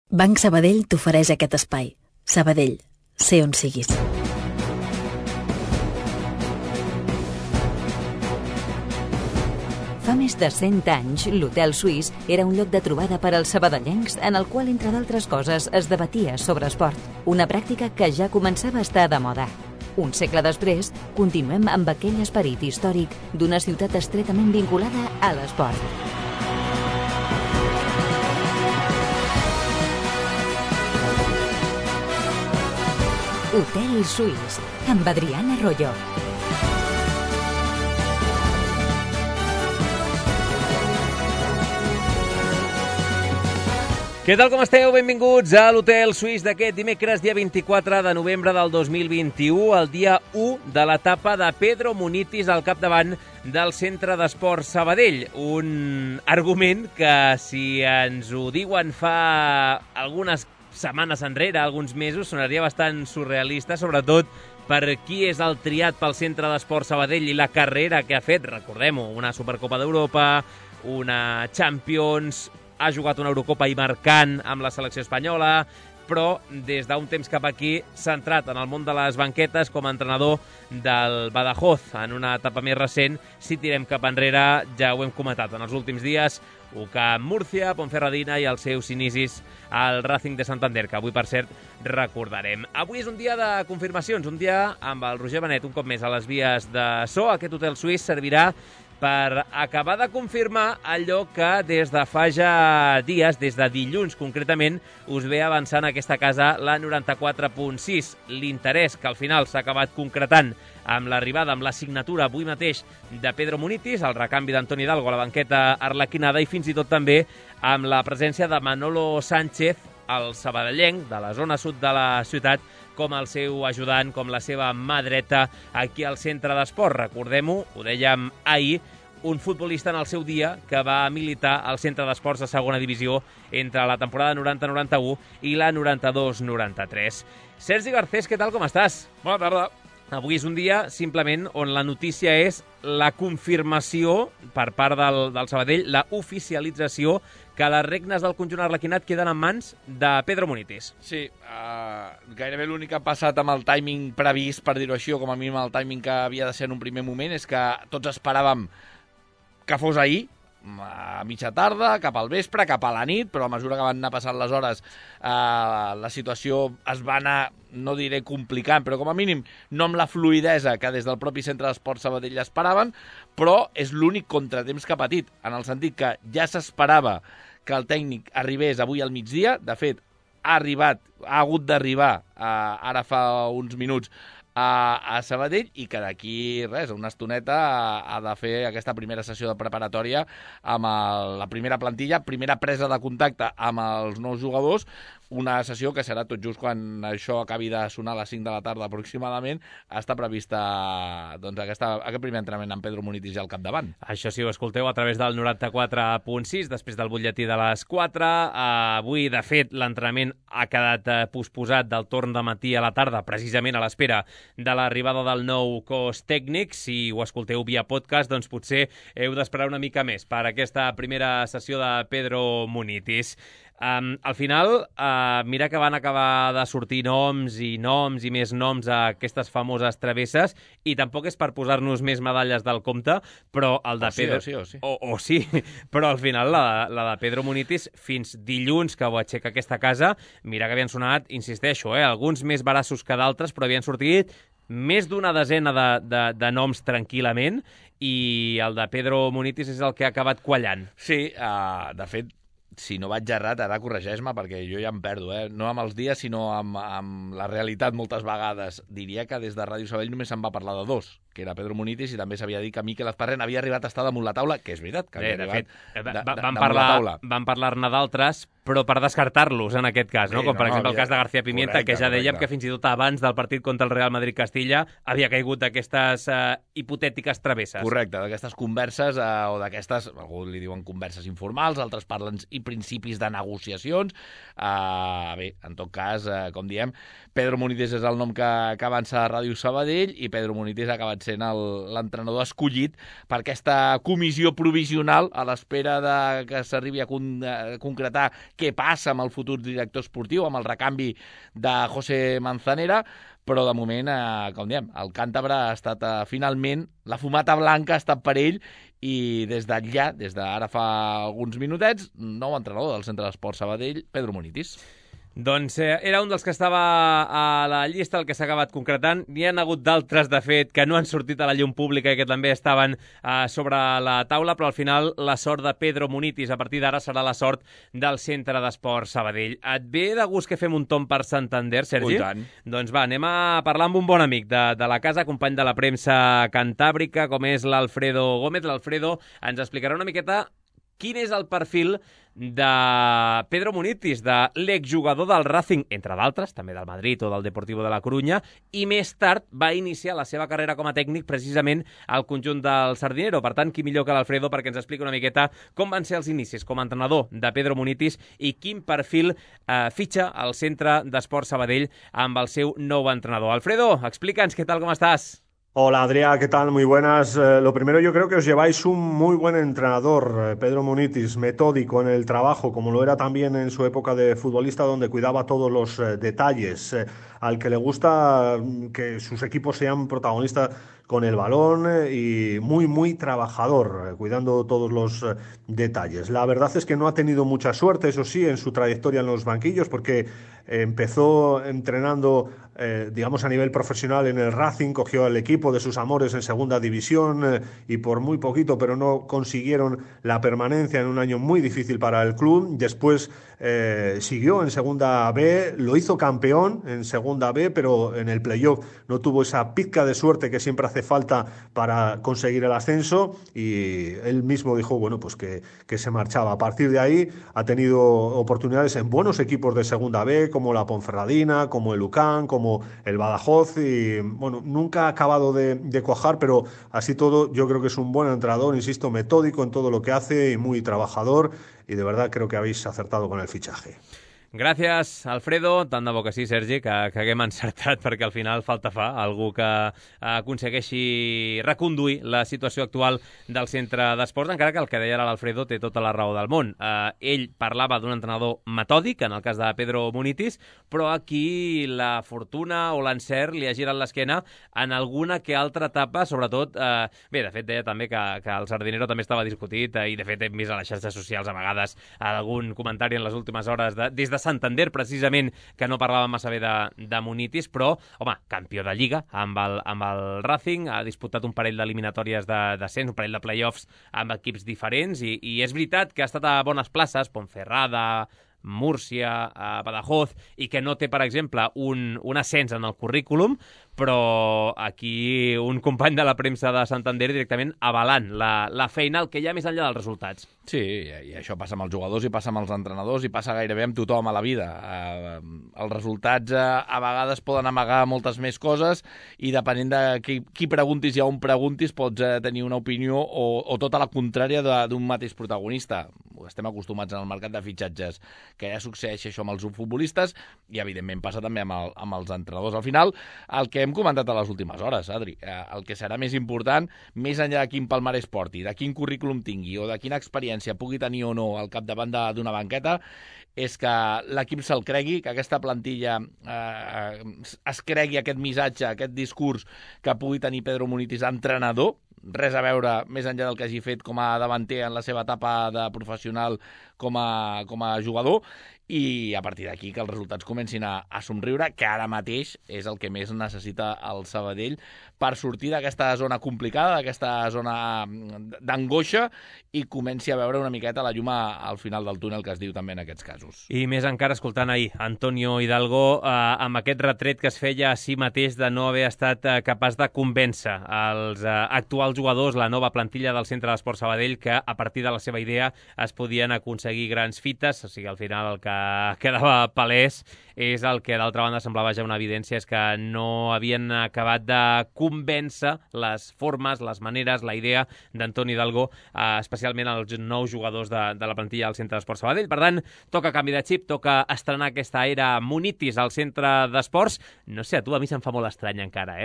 Banc Sabadell t'ofereix aquest espai. Sabadell, sé on siguis. Fa més de 100 anys, l'Hotel Suís era un lloc de trobada per als sabadellencs en el qual, entre d'altres coses, es debatia sobre esport. Una pràctica que ja començava a estar de moda. Un segle després, continuem amb aquell esperit històric d'una ciutat estretament vinculada a l'esport. Hotel Suís, amb Adriana Arroyo. Què tal, com esteu? Benvinguts a l'Hotel Suís d'aquest dimecres, dia 24 de novembre del 2021, el dia 1 de l'etapa de Pedro Munitis al capdavant del Centre d'Esport Sabadell. Un argument que, si ens ho diuen fa algunes setmanes enrere, alguns mesos, sonaria bastant surrealista, sobretot per qui és el triat pel Centre d'Esport Sabadell i la carrera que ha fet, recordem-ho, una Supercopa d'Europa, una Champions, ha jugat una Eurocopa i marcant amb la selecció espanyola, però des d'un temps cap aquí s'ha entrat en el món de les banquetes com a entrenador del Badajoz. En una etapa més recent, si tirem cap enrere, ja ho hem comentat en els últims dies, UCAM Múrcia, Ponferradina i els seus inicis al Racing de Santander, que avui, per cert, recordarem. Avui és un dia de confirmacions, un dia amb el Roger Benet un cop més a les vies de so. Aquest Hotel Suís servirà per acabar de confirmar allò que des de fa ja dies, des de dilluns concretament, us ve avançant aquesta casa, la 94.6. L'interès que al final s'ha acabat concretant amb l'arribada, amb la signatura avui mateix de Pedro Munitis, el recanvi d'Antoni Hidalgo a la banqueta arlequinada i fins i tot també amb la presència de Manolo Sánchez, el sabadellenc de la zona sud de la ciutat, com el seu ajudant, com la seva mà dreta aquí al centre d'esport. Recordem-ho, ho dèiem ahir, un futbolista en el seu dia que va militar al centre d'esports de segona divisió entre la temporada 90-91 i la 92-93. Sergi Garcés, què tal, com estàs? Bona tarda. Avui és un dia, simplement, on la notícia és la confirmació per part del Sabadell, la oficialització que les regnes del conjunt arlequinat queden en mans de Pedro Munitis. Sí, gairebé l'únic que ha passat amb el timing previst, per dir-ho així, o com a mínim el timing que havia de ser en un primer moment, és que tots esperàvem que fos ahir, a mitja tarda, cap al vespre, cap a la nit, però a mesura que van anar passant les hores la situació es va anar, no diré complicant, però com a mínim no amb la fluidesa que des del propi Centre d'Esport Sabadell esperaven, però és l'únic contratemps que ha patit, en el sentit que ja s'esperava que el tècnic arribés avui al migdia. De fet, ha hagut d'arribar ara fa uns minuts a Sabadell, i que d'aquí, res, una estoneta ha de fer aquesta primera sessió de preparatòria amb la primera plantilla, primera presa de contacte amb els nous jugadors, una sessió que serà tot just quan això acabi de sonar a les 5 de la tarda aproximadament. Està prevista doncs, aquest primer entrenament amb Pedro Munitis ja al capdavant. Això sí, ho escolteu a través del 94.6, després del butlletí de les 4. Avui, de fet, l'entrenament ha quedat posposat del torn de matí a la tarda, precisament a l'espera de l'arribada del nou cos tècnic. Si ho escolteu via podcast, doncs potser heu d'esperar una mica més per aquesta primera sessió de Pedro Munitis. Al final, mira que van acabar de sortir noms i més noms a aquestes famoses travesses, i tampoc és per posar-nos més medalles del compte, però el de Pedro... Sí, però al final la de Pedro Munitis, fins dilluns que ho aixeca aquesta casa, mira que havien sonat, insisteixo, alguns més barassos que d'altres, però havien sortit més d'una desena de noms tranquil·lament, i el de Pedro Munitis és el que ha acabat quallant. Sí, de fet, si no vaig errat, ara corregeix-me, perquè jo ja em perdo, no amb els dies, sinó amb la realitat moltes vegades. Diria que des de Ràdio Sabadell només se'n va parlar de dos, que era Pedro Munitis, i també s'havia dit que Miquel Azparren havia arribat a estar damunt la taula, que és veritat, que havia arribat damunt la taula. Van parlar-ne d'altres, però per descartar-los en aquest cas, no? Com per exemple el cas de García Pimienta, que ja dèiem que fins i tot abans del partit contra el Real Madrid-Castilla havia caigut d'aquestes hipotètiques travesses. Correcte, d'aquestes converses, o d'aquestes, algú li diuen converses informals, altres parlen i principis de negociacions. Bé, en tot cas, com diem, Pedro Munitis és el nom que avança a Ràdio Sabadell, i Pedro Munitis ha acabat sent l'entrenador escollit per aquesta comissió provisional a l'espera que s'arribi a concretar què passa amb el futur director esportiu, amb el recanvi de José Manzanera, però de moment, com diem, el càntabre ha estat finalment, la fumata blanca ha estat per ell i des d'ara fa alguns minutets, nou entrenador del Centre d'Esport Sabadell, Pedro Munitis. Doncs era un dels que estava a la llista, el que s'ha acabat concretant. N'hi ha hagut d'altres, de fet, que no han sortit a la llum pública i que també estaven sobre la taula, però al final la sort de Pedro Munitis a partir d'ara serà la sort del Centre d'Esport Sabadell. Et ve de gust que fem un tomb per Santander, Sergi? I tant. Doncs va, anem a parlar amb un bon amic de la casa, company de la premsa cantàbrica, com és l'Alfredo Gómez. L'Alfredo ens explicarà una miqueta quin és el perfil de Pedro Munitis, de l'exjugador del Racing, entre d'altres, també del Madrid o del Deportivo de la Corunya, i més tard va iniciar la seva carrera com a tècnic precisament al conjunt del Sardinero. Per tant, qui millor que l'Alfredo perquè ens expliqui una miqueta com van ser els inicis com a entrenador de Pedro Munitis i quin perfil fitxa al Centre d'Esport Sabadell amb el seu nou entrenador. Alfredo, explica'ns què tal, com estàs? Hola Adrià, ¿qué tal? Muy buenas. Lo primero, yo creo que os lleváis un muy buen entrenador, Pedro Munitis, metódico en el trabajo, como lo era también en su época de futbolista, donde cuidaba todos los detalles, al que le gusta que sus equipos sean protagonistas con el balón y muy trabajador, cuidando todos los detalles. La verdad es que no ha tenido mucha suerte, eso sí, en su trayectoria en los banquillos, porque empezó entrenando, digamos, a nivel profesional en el Racing, cogió el equipo de sus amores en segunda división y por muy poquito, pero no consiguieron la permanencia en un año muy difícil para el club. Después siguió en segunda B, lo hizo campeón en segunda B, pero en el playoff no tuvo esa pizca de suerte que siempre hace falta para conseguir el ascenso y él mismo dijo, bueno, pues que se marchaba. A partir de ahí ha tenido oportunidades en buenos equipos de segunda B, como la Ponferradina, como el UCAM, como el Badajoz y, bueno, nunca ha acabado de cuajar, pero así todo yo creo que es un buen entrenador, insisto, metódico en todo lo que hace y muy trabajador y de verdad creo que habéis acertado con el fichaje. Gràcies, Alfredo. Tant de bo que sí, Sergi, que haguem encertat, perquè al final falta fa algú que aconsegueixi reconduir la situació actual del centre d'esports, encara que el que deia ara l'Alfredo té tota la raó del món. Ell parlava d'un entrenador metòdic, en el cas de Pedro Munitis, però aquí la fortuna o l'encert li ha girat l'esquena en alguna que altra etapa, sobretot... Bé, de fet, deia també que el Sardinero també estava discutit i, de fet, hem vist a les xarxes socials a vegades algun comentari en les últimes hores des de Santander, precisament, que no parlava massa bé de Munitis, però, home, campió de Lliga amb el Racing, ha disputat un parell d'eliminatòries de descens, un parell de play-offs amb equips diferents, i és veritat que ha estat a bones places, Ponferrada, Múrcia, Badajoz, i que no té, per exemple, un ascens en el currículum, però aquí un company de la premsa de Santander directament avalant la feina, el que hi ha més enllà dels resultats. Sí, i això passa amb els jugadors i passa amb els entrenadors i passa gairebé amb tothom a la vida. Els resultats a vegades poden amagar moltes més coses i depenent de qui preguntis i on preguntis pots tenir una opinió o tota la contrària d'un mateix protagonista. Estem acostumats en el mercat de fitxatges que ja succeeix això amb els futbolistes i evidentment passa també amb els entrenadors. Al final, el que hem comentat a les últimes hores, Adri, el que serà més important, més enllà de quin palmarès porti, de quin currículum tingui o de quina experiència pugui tenir o no al capdavant d'una banqueta, és que l'equip se'l cregui, que aquesta plantilla es cregui aquest missatge, aquest discurs que pugui tenir Pedro Munitis, entrenador, res a veure més enllà del que hagi fet com a davanter en la seva etapa de professional com a jugador, i a partir d'aquí que els resultats comencin a somriure, que ara mateix és el que més necessita el Sabadell per sortir d'aquesta zona complicada, d'aquesta zona d'angoixa i comenci a veure una miqueta la llum al final del túnel, que es diu també en aquests casos. I més encara escoltant ahir Antonio Hidalgo amb aquest retret que es feia a si mateix de no haver estat capaç de convèncer els actuals jugadors, la nova plantilla del Centre d'Esport Sabadell, que a partir de la seva idea es podien aconseguir aconseguir grans fites, o sigui, al final el que quedava palès és el que d'altra banda semblava ja una evidència, és que no havien acabat de convèncer les formes, les maneres, la idea d'Antoni Hidalgo, especialment els nous jugadors de la plantilla del Centre d'Esports Sabadell. Per tant, toca canvi de xip, toca estrenar aquesta era Munitis al Centre d'Esports. No sé, a tu, a mi se'm fa molt estrany encara,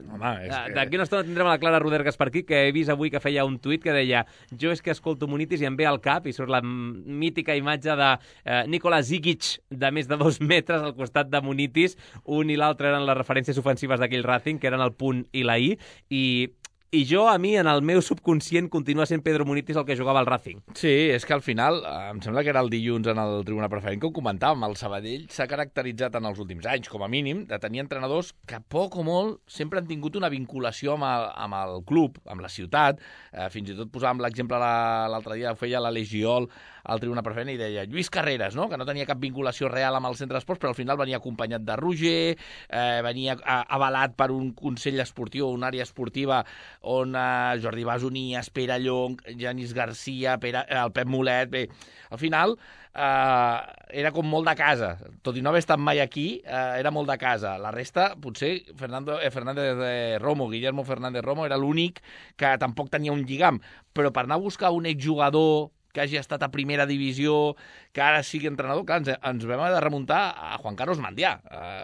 Home, D'aquí una estona tindrem a la Clara Rodergas per aquí, que he vist avui que feia un tuit que deia: jo és que escolto Munitis i em ve al cap, i surt la mítica imatge de Nikola Zigic de més de 2 metres al costat de Munitis. Un i l'altre eren les referències ofensives d'aquell Racing, que eren el punt i la i, i jo, a mi, en el meu subconscient, continua sent Pedro Munitis el que jugava al Racing. Sí, és que al final, em sembla que era el dilluns en el Tribuna Preferent que ho comentàvem, el Sabadell s'ha caracteritzat en els últims anys, com a mínim, de tenir entrenadors que poc o molt sempre han tingut una vinculació amb el club, amb la ciutat. Fins i tot posàvem l'exemple l'altre dia, ho feia l'Aleix Giol al Tribuna Preferent i deia Lluís Carreras, no?, que no tenia cap vinculació real amb el Centre d'Esports, però al final venia acompanyat de Roger, venia avalat per un consell esportiu, una àrea esportiva on Jordi Basonies, Pere Llong, Janis Garcia, el Pep Mulet... Bé, al final era com molt de casa. Tot i no haver estat mai aquí, era molt de casa. La resta, potser, Fernández Romo, Guillermo Fernández Romo, era l'únic que tampoc tenia un lligam. Però per anar a buscar un exjugador que hagi estat a primera divisió, que ara sigui entrenador, clar, ens vam haver de remuntar a Juan Carlos Mandià.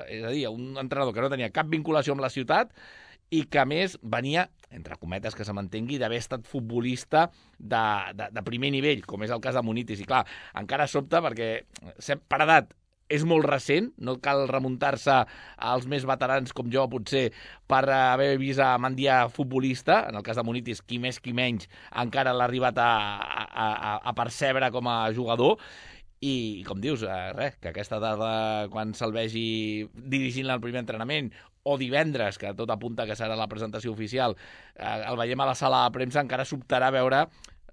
És a dir, un entrenador que no tenia cap vinculació amb la ciutat i que, a més, venia, entre cometes que se m'entengui, d'haver estat futbolista de primer nivell, com és el cas de Munitis. I, clar, encara sobta perquè, per edat, és molt recent, no cal remuntar-se als més veterans com jo, potser, per haver vist a Mandià futbolista. En el cas de Munitis, qui més qui menys, encara l'ha arribat a percebre com a jugador. I, com dius, que aquesta tarda, quan se'l vegi dirigint el primer entrenament, o divendres, que tot apunta que serà la presentació oficial, el veiem a la sala de premsa, encara sobtarà veure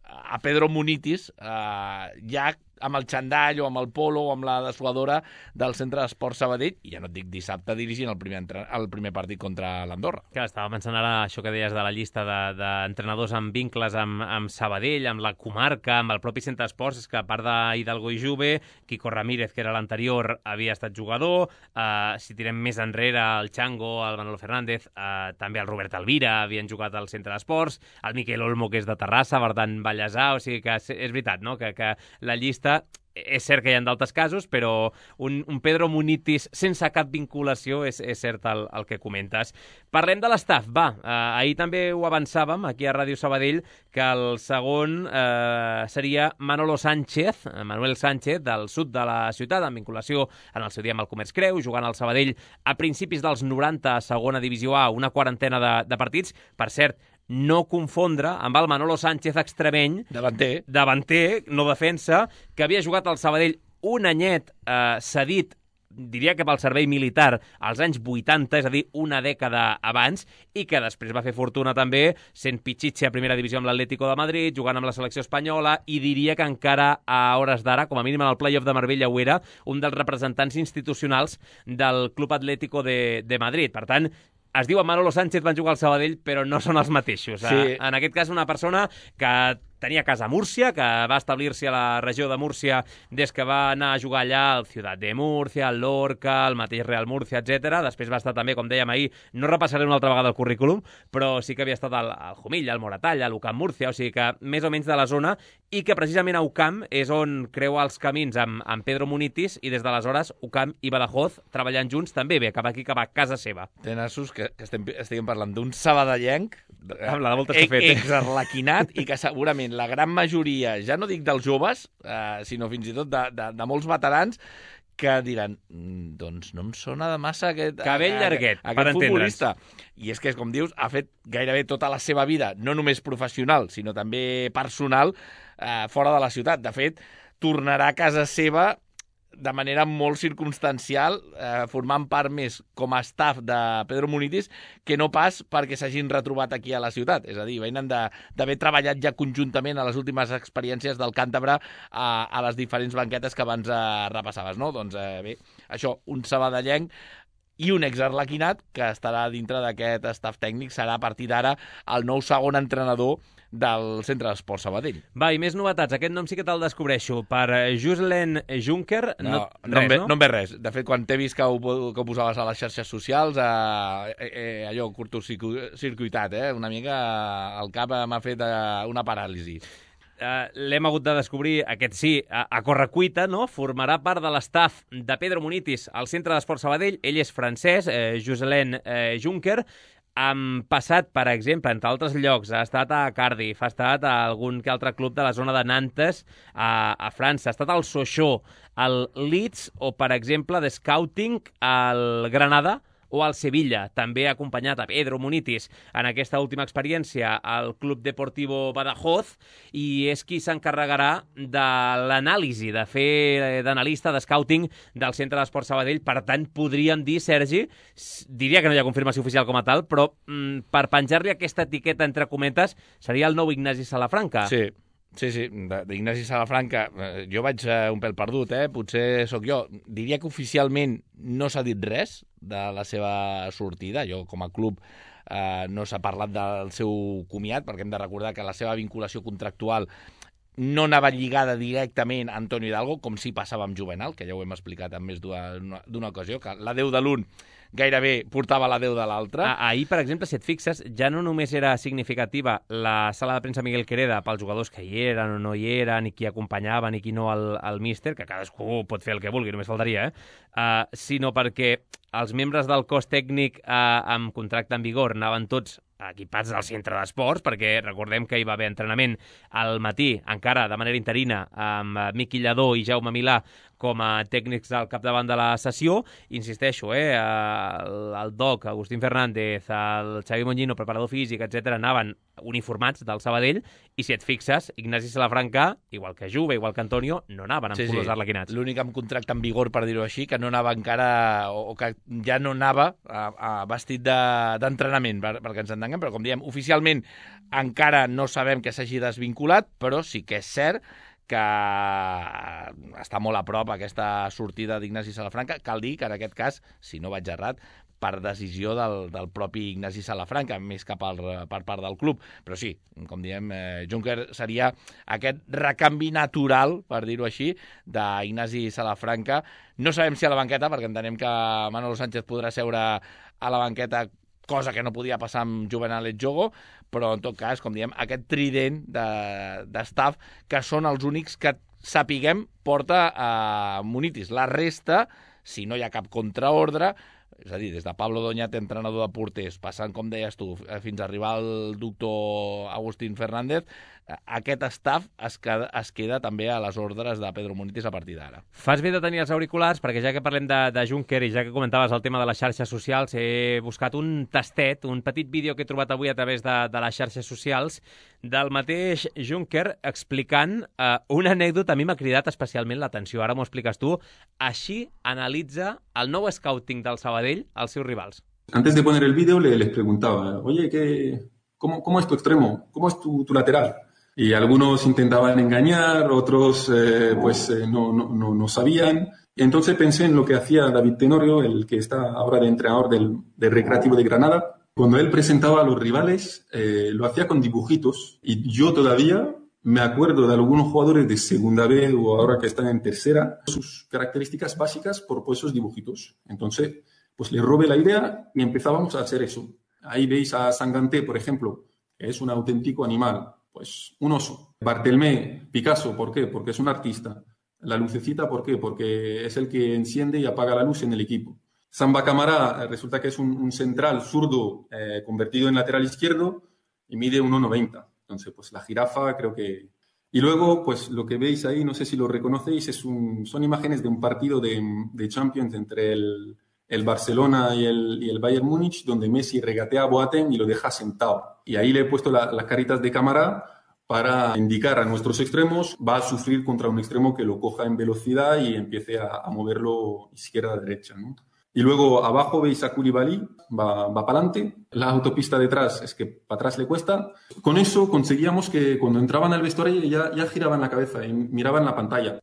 a Pedro Munitis ja amb el xandall o amb el polo o amb la dessuadora del Centre d'Esports Sabadell, i ja no et dic dissabte dirigint el primer partit contra l'Andorra. Clar, estava pensant ara això que deies de la llista d'entrenadors amb vincles amb Sabadell, amb la comarca, amb el propi Centre d'Esports. És que a part d'Hidalgo i Juve, Quico Ramírez, que era l'anterior, havia estat jugador. Si tirem més enrere, el Chango, el Manolo Fernández, també el Robert Alvira havien jugat al Centre d'Esports, el Miquel Olmo, que és de Terrassa, per tant, Vallèsà. O sigui que és veritat, no?, que la llista, és cert que hi ha d'altres casos, però un Pedro Munitis sense cap vinculació és cert el que comentes. Parlem de l'estaf, va. Ahir també ho avançàvem aquí a Ràdio Sabadell, que el segon seria Manuel Sánchez, del sud de la ciutat, en vinculació en el seu dia amb el Comerç Creu, jugant al Sabadell a principis dels 90 a segona divisió A, una quarantena de partits. Per cert, no confondre amb el Manolo Sánchez extremeny, davanter, no defensa, que havia jugat al Sabadell un anyet cedit, diria que pel servei militar, als anys 80, és a dir, una dècada abans, i que després va fer fortuna també sent Pichichi a primera divisió amb l'Atlético de Madrid, jugant amb la selecció espanyola, i diria que encara a hores d'ara, com a mínim en el play-off de Marbella ho era, un dels representants institucionals del Club Atlético de Madrid. Per tant, es diu Manolo Sánchez, van jugar al Sabadell, però no són els mateixos. Sí. En aquest cas, una persona que tenia casa a Múrcia, que va establir-se a la regió de Múrcia des que va anar a jugar allà al Ciutat de Múrcia, al Lorca, al mateix Real Múrcia, etc. Després va estar també, com dèiem ahir, no repassaré una altra vegada el currículum, però sí que havia estat al Jumilla, al Moratalla, a l'UCAM Múrcia, o sigui que més o menys de la zona, i que precisament a UCAM és on creua els camins amb Pedro Munitis, i des d'aleshores UCAM i Badajoz treballant junts també bé, cap aquí, cap a casa seva. Té nassos que estiguem parlant d'un sabadellenc exarlequinat i que segurament la gran majoria, ja no dic dels joves, sinó fins i tot de molts veterans, que diran, doncs no em sona de massa aquest llarguet, aquest futbolista. I és que, com dius, ha fet gairebé tota la seva vida, no només professional, sinó també personal, fora de la ciutat. De fet, tornarà a casa seva de manera molt circumstancial, formant part més com a staff de Pedro Munitis que no pas perquè s'hagin retrobat aquí a la ciutat. És a dir, venen d'haver treballat ja conjuntament a les últimes experiències del Càntabre a les diferents banquetes que abans repassaves, no? Doncs bé, això, un sabadellenc i un exarlequinat que estarà dintre d'aquest staff tècnic, serà a partir d'ara el nou segon entrenador del Centre d'Esport Sabadell. Va, i més novetats. Aquest nom sí que te'l descobreixo. Per Joselen Juncker... No em ve res. De fet, quan t'he vist que ho posaves a les xarxes socials, allò curtocircuitat, una mica el cap m'ha fet una paràlisi. L'hem hagut de descobrir, aquest sí, a correcuita, no? Formarà part de l'estaf de Pedro Munitis al Centre d'Esport Sabadell. Ell és francès, Joselen Juncker. Han passat, per exemple, entre altres llocs, ha estat a Cardiff, ha estat a algun que altre club de la zona de Nantes, a França, ha estat al Sochaux, al Leeds o, per exemple, de Scouting al Granada o al Sevilla. També ha acompanyat a Pedro Munitis en aquesta última experiència al Club Deportivo Badajoz i és qui s'encarregarà de l'anàlisi, de fer d'analista de scouting del Centre d'Esport Sabadell. Per tant, podríem dir, Sergi, diria que no hi ha confirmació oficial com a tal, però per penjar-li aquesta etiqueta entre cometes seria el nou Ignasi Salafranca. Sí, d'Ignasi Salafranca jo vaig un pèl perdut, potser sóc jo. Diria que oficialment no s'ha dit res de la seva sortida. Jo, com a club, no s'ha parlat del seu comiat, perquè hem de recordar que la seva vinculació contractual no anava lligada directament a Antonio Hidalgo, com sí passava amb Juvenal, que ja ho hem explicat en més d'una ocasió, que la 10 de l'un gairebé portava la 10 de l'altre. Ahir, per exemple, si et fixes, ja no només era significativa la sala de premsa Miguel Quereda pels jugadors que hi eren o no hi eren, i qui acompanyaven i qui no al míster, que cadascú pot fer el que vulgui, només faltaria, sinó perquè els membres del cos tècnic amb contracte en vigor anaven tots equipats del centre d'esports, perquè recordem que hi va haver entrenament al matí, encara de manera interina, amb Miqui Lladó i Jaume Milà com a tècnics al capdavant de la sessió. Insisteixo, el Doc, Agustín Fernández, el Xavi Montllino, preparador físic, etc., anaven uniformats del Sabadell, i si et fixes, Ignasi Salafranca, igual que Juve, igual que Antonio, no anaven amb colors arlequinats. L'únic amb contracte en vigor, per dir-ho així, que no anava encara, o que ja no anava vestit d'entrenament, perquè ens entenguem, però com diem, oficialment encara no sabem que s'hagi desvinculat, però sí que és cert que està molt a prop aquesta sortida d'Ignasi Salafranca. Cal dir que en aquest cas, si no vaig errat, per decisió del propi Ignasi Salafranca, més que per part del club. Però sí, com diem, Juncker seria aquest recanvi natural, per dir-ho així, d'Ignasi Salafranca. No sabem si a la banqueta, perquè entenem que Manolo Sánchez podrà seure a la banqueta, cosa que no podia passar amb Juvenal Etxogo, però en tot cas, com diem, aquest trident d'estaf que són els únics que sapiguem porta a Munitis. La resta, si no hi ha cap contraordre, és a dir, des de Pablo Doñate, entrenador de porters, passant, com deies tu, fins a arribar al doctor Agustín Fernández, aquest staff es queda també a les ordres de Pedro Munitis a partir d'ara. Fas bé de tenir els auriculars, perquè ja que parlem de Juncker i ja que comentaves el tema de les xarxes socials, he buscat un tastet, un petit vídeo que he trobat avui a través de les xarxes socials del mateix Juncker explicant una anècdota. A mi m'ha cridat especialment l'atenció. Ara m'ho expliques tu. Així analitza el nou scouting del Sabadell als seus rivals. Antes de poner el vídeo les preguntaba, oye, ¿cómo es tu extremo? ¿Cómo es tu lateral? Y algunos intentaban engañar, otros no sabían. Y entonces pensé en lo que hacía David Tenorio, el que está ahora de entrenador del Recreativo de Granada. Cuando él presentaba a los rivales, lo hacía con dibujitos. Y yo todavía me acuerdo de algunos jugadores de segunda B o ahora que están en tercera, sus características básicas por esos dibujitos. Entonces, pues le robé la idea y empezábamos a hacer eso. Ahí veis a Sanganté, por ejemplo, que es un auténtico animal. Pues un oso. Bartelmé, Picasso, ¿por qué? Porque es un artista. La lucecita, ¿por qué? Porque es el que enciende y apaga la luz en el equipo. Samba Camara resulta que es un central zurdo convertido en lateral izquierdo y mide 1,90. Entonces, pues la jirafa creo que... Y luego, pues lo que veis ahí, no sé si lo reconocéis, son imágenes de un partido de Champions entre el Barcelona y el Bayern Múnich, donde Messi regatea a Boateng y lo deja sentado. Y ahí le he puesto las caritas de cámara para indicar a nuestros extremos, va a sufrir contra un extremo que lo coja en velocidad y empiece a moverlo izquierda a derecha, ¿no? Y luego abajo veis a Koulibaly, va para adelante, la autopista detrás es que para atrás le cuesta. Con eso conseguíamos que cuando entraban al vestuario ya giraban la cabeza y miraban la pantalla.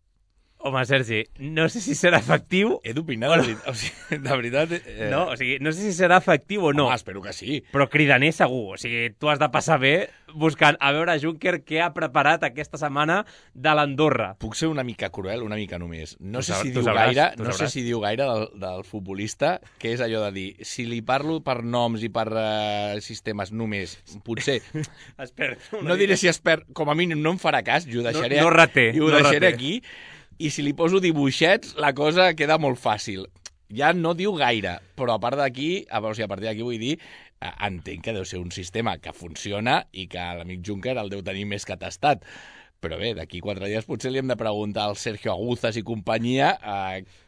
Home, Sergi, no sé si serà efectiu... He d'opinar, o sigui, de veritat... No, o sigui, no sé si serà efectiu o no. Home, espero que sí. Però cridaner segur. O sigui, tu has de passar bé buscant a veure Juncker què ha preparat aquesta setmana de l'Andorra. Puc ser una mica cruel, una mica només. No sé si tu diu sabràs, gaire, tu no sé sabràs. si diu gaire del futbolista, que és allò de dir, si li parlo per noms i per sistemes només, potser... No diré si es perd, com a mínim no em farà cas, i ho deixaré, No reté, i ho no deixaré reté. aquí, i si li poso dibuixets, la cosa queda molt fàcil. Ja no diu gaire, però a part d'aquí, o sigui, a partir d'aquí vull dir, entenc que deu ser un sistema que funciona i que l'amic Juncker el deu tenir més que tastat. Però bé, d'aquí 4 dies potser li hem de preguntar al Sergio Aguzas i companyia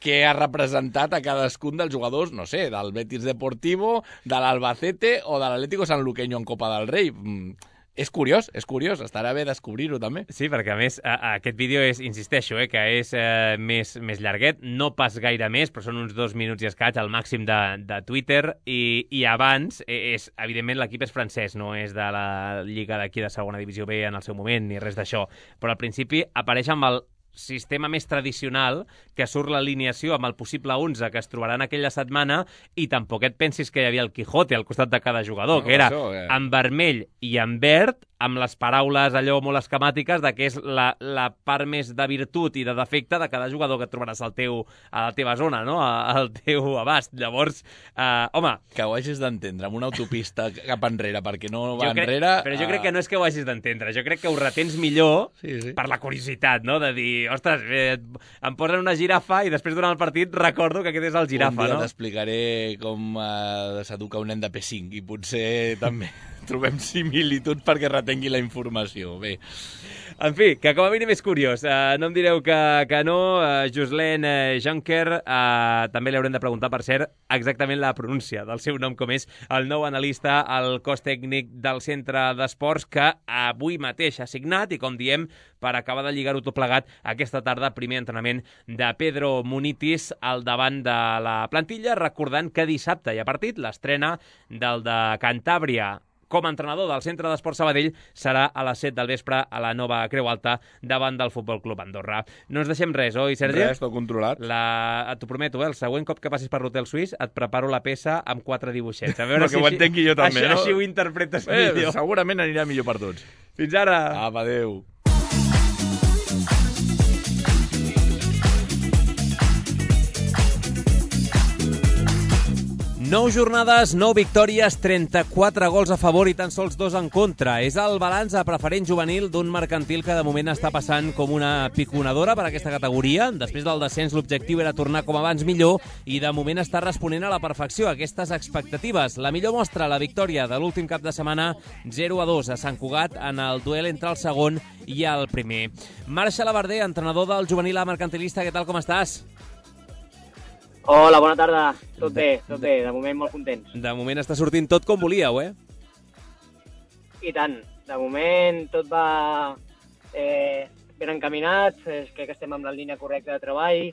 què ha representat a cadascun dels jugadors, no sé, del Betis Deportivo, de l'Albacete o de l'Atlético Sanluqueño en Copa del Rei. És curiós, estarà bé descobrir-ho també. Sí, perquè a més aquest vídeo és, insisteixo, que és més llarguet, no pas gaire més, però són uns 2 minuts i escaig al màxim de Twitter, i abans, evidentment l'equip és francès, no és de la lliga d'aquí de segona divisió B en el seu moment, ni res d'això, però al principi apareix amb el sistema més tradicional, que surt l'alineació amb el possible 11 que es trobaran aquella setmana, i tampoc et pensis que hi havia el Quijote al costat de cada jugador, que era en vermell i en verd, amb les paraules allò molt esquemàtiques de què és la part més de virtut i de defecte de cada jugador que et trobaràs a la teva zona, no? Al teu abast. Llavors, home... Que ho hagis d'entendre, amb una autopista cap enrere, perquè no va enrere... Però jo crec que no és que ho hagis d'entendre, jo crec que ho retens millor per la curiositat, no? De dir, ostres, em posen una girafa i després durant el partit recordo que aquest és el girafa, no? Un dia t'explicaré com s'educa un nen de P5 i potser també trobem similituds perquè retengui la informació. Bé. En fi, que com a mínim és curiós. No em direu que no. Ghislain Juncker, també li haurem de preguntar, per cert, exactament la pronúncia del seu nom, com és el nou analista al cos tècnic del Centre d'Esports, que avui mateix ha signat i, com diem, per acabar de lligar-ho tot plegat, aquesta tarda, primer entrenament de Pedro Munitis al davant de la plantilla, recordant que dissabte hi ha partit, l'estrena del de Cantàbria com a entrenador del Centre d'Esports Sabadell serà a les 7 del vespre a la nova Creu Alta davant del Futbol Club Andorra. No ens deixem res, oi, Sergi? Res, tot controlat. T'ho prometo, el següent cop que passis per l'Hotel Suís et preparo la peça amb 4 dibuixets. A veure si ho entengui jo també, no? Així ho interpretes millor. Segurament anirà millor per tots. Fins ara! Apa, adéu. 9 jornades, 9 victòries, 34 gols a favor i tan sols 2 en contra. És el balanç a preferent juvenil d'un mercantil que de moment està passant com una piconadora per aquesta categoria. Després del descens l'objectiu era tornar com abans millor i de moment està responent a la perfecció a aquestes expectatives. La millor mostra, la victòria de l'últim cap de setmana 0-2 a Sant Cugat en el duel entre el segon i el primer. Marc Xalabarder, entrenador del juvenil A mercantilista, què tal, com estàs? Hola, bona tarda. Tot bé. De moment molt contents. De moment està sortint tot com volíeu, I tant. De moment tot va ben encaminat. Crec que estem amb la línia correcta de treball.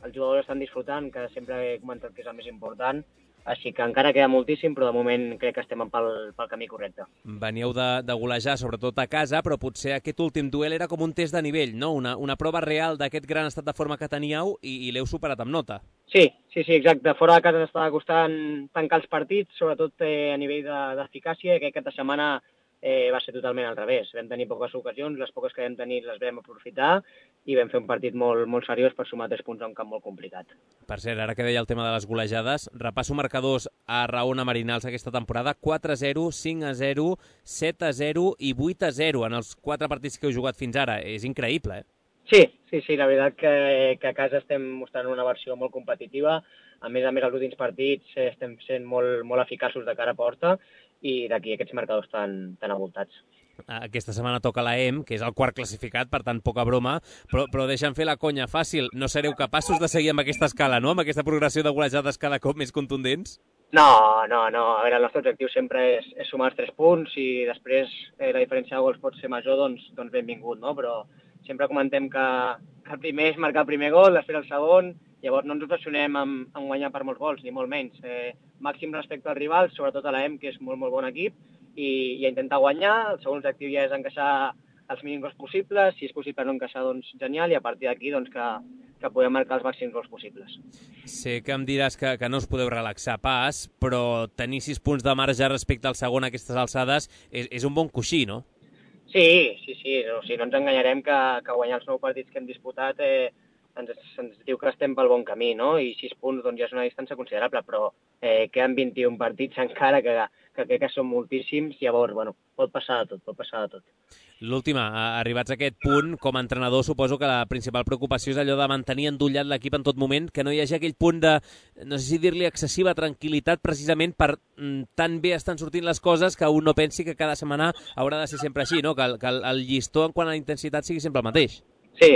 Els jugadors estan disfrutant, que sempre he comentat que és el més important. Així que encara queda moltíssim, però de moment crec que estem pel camí correcte. Veníeu de golejar, sobretot a casa, però potser aquest últim duel era com un test de nivell, no? Una prova real d'aquest gran estat de forma que teníeu i l'heu superat amb nota. Sí, exacte. Fora de casa ens estava costant tancar els partits, sobretot a nivell d'eficàcia, i aquesta setmana va ser totalment al revés. Vam tenir poques ocasions, les poques que vam tenir les vam aprofitar i vam fer un partit molt seriós per sumar 3 punts a un camp molt complicat. Per cert, ara que deia el tema de les golejades, repasso marcadors a Raona Marinals aquesta temporada: 4-0, 5-0, 7-0 i 8-0 en els 4 partits que heu jugat fins ara. És increïble, Sí, la veritat que a casa estem mostrant una versió molt competitiva. A més, els últims partits estem sent molt eficaços de cara a porta i d'aquí aquests marcadors tan avoltats. Aquesta setmana toca la EM, que és el quart classificat, per tant, poca broma, però deixa'm fer la conya fàcil. No sereu capaços de seguir amb aquesta escala, no? Amb aquesta progressió de golejades cada cop més contundents? No. A veure, el nostre objectiu sempre és sumar els 3 punts i després la diferència de gols pot ser major, doncs benvingut, no? Però sempre comentem que el primer és marcar el primer gol, després el segon, llavors no ens obsessionem en guanyar per molts gols, ni molt menys. Màxim respecte als rivals, sobretot a l'EM, que és molt bon equip, i a intentar guanyar. El segon objectiu ja és encaixar els mínims gols possibles, si és possible no encaixar, doncs genial, i a partir d'aquí doncs, que podem marcar els màxims gols possibles. Sé que em diràs que no us podeu relaxar pas, però tenir 6 punts de marge respecte al segon a aquestes alçades és un bon coixí, no? Sí. No ens enganyarem que guanyar els 9 partits que hem disputat ens diu que estem pel bon camí, no? I 6 punts doncs, ja és una distància considerable, però queden 21 partits encara, que crec que són moltíssims. Llavors, pot passar de tot. L'última, arribats a aquest punt, com a entrenador, suposo que la principal preocupació és allò de mantenir endollat l'equip en tot moment, que no hi hagi aquell punt de, no sé si dir-li excessiva tranquil·litat, precisament per tan bé estan sortint les coses que un no pensi que cada setmana haurà de ser sempre així, no? Que el llistó en quant a la intensitat sigui sempre el mateix. Sí,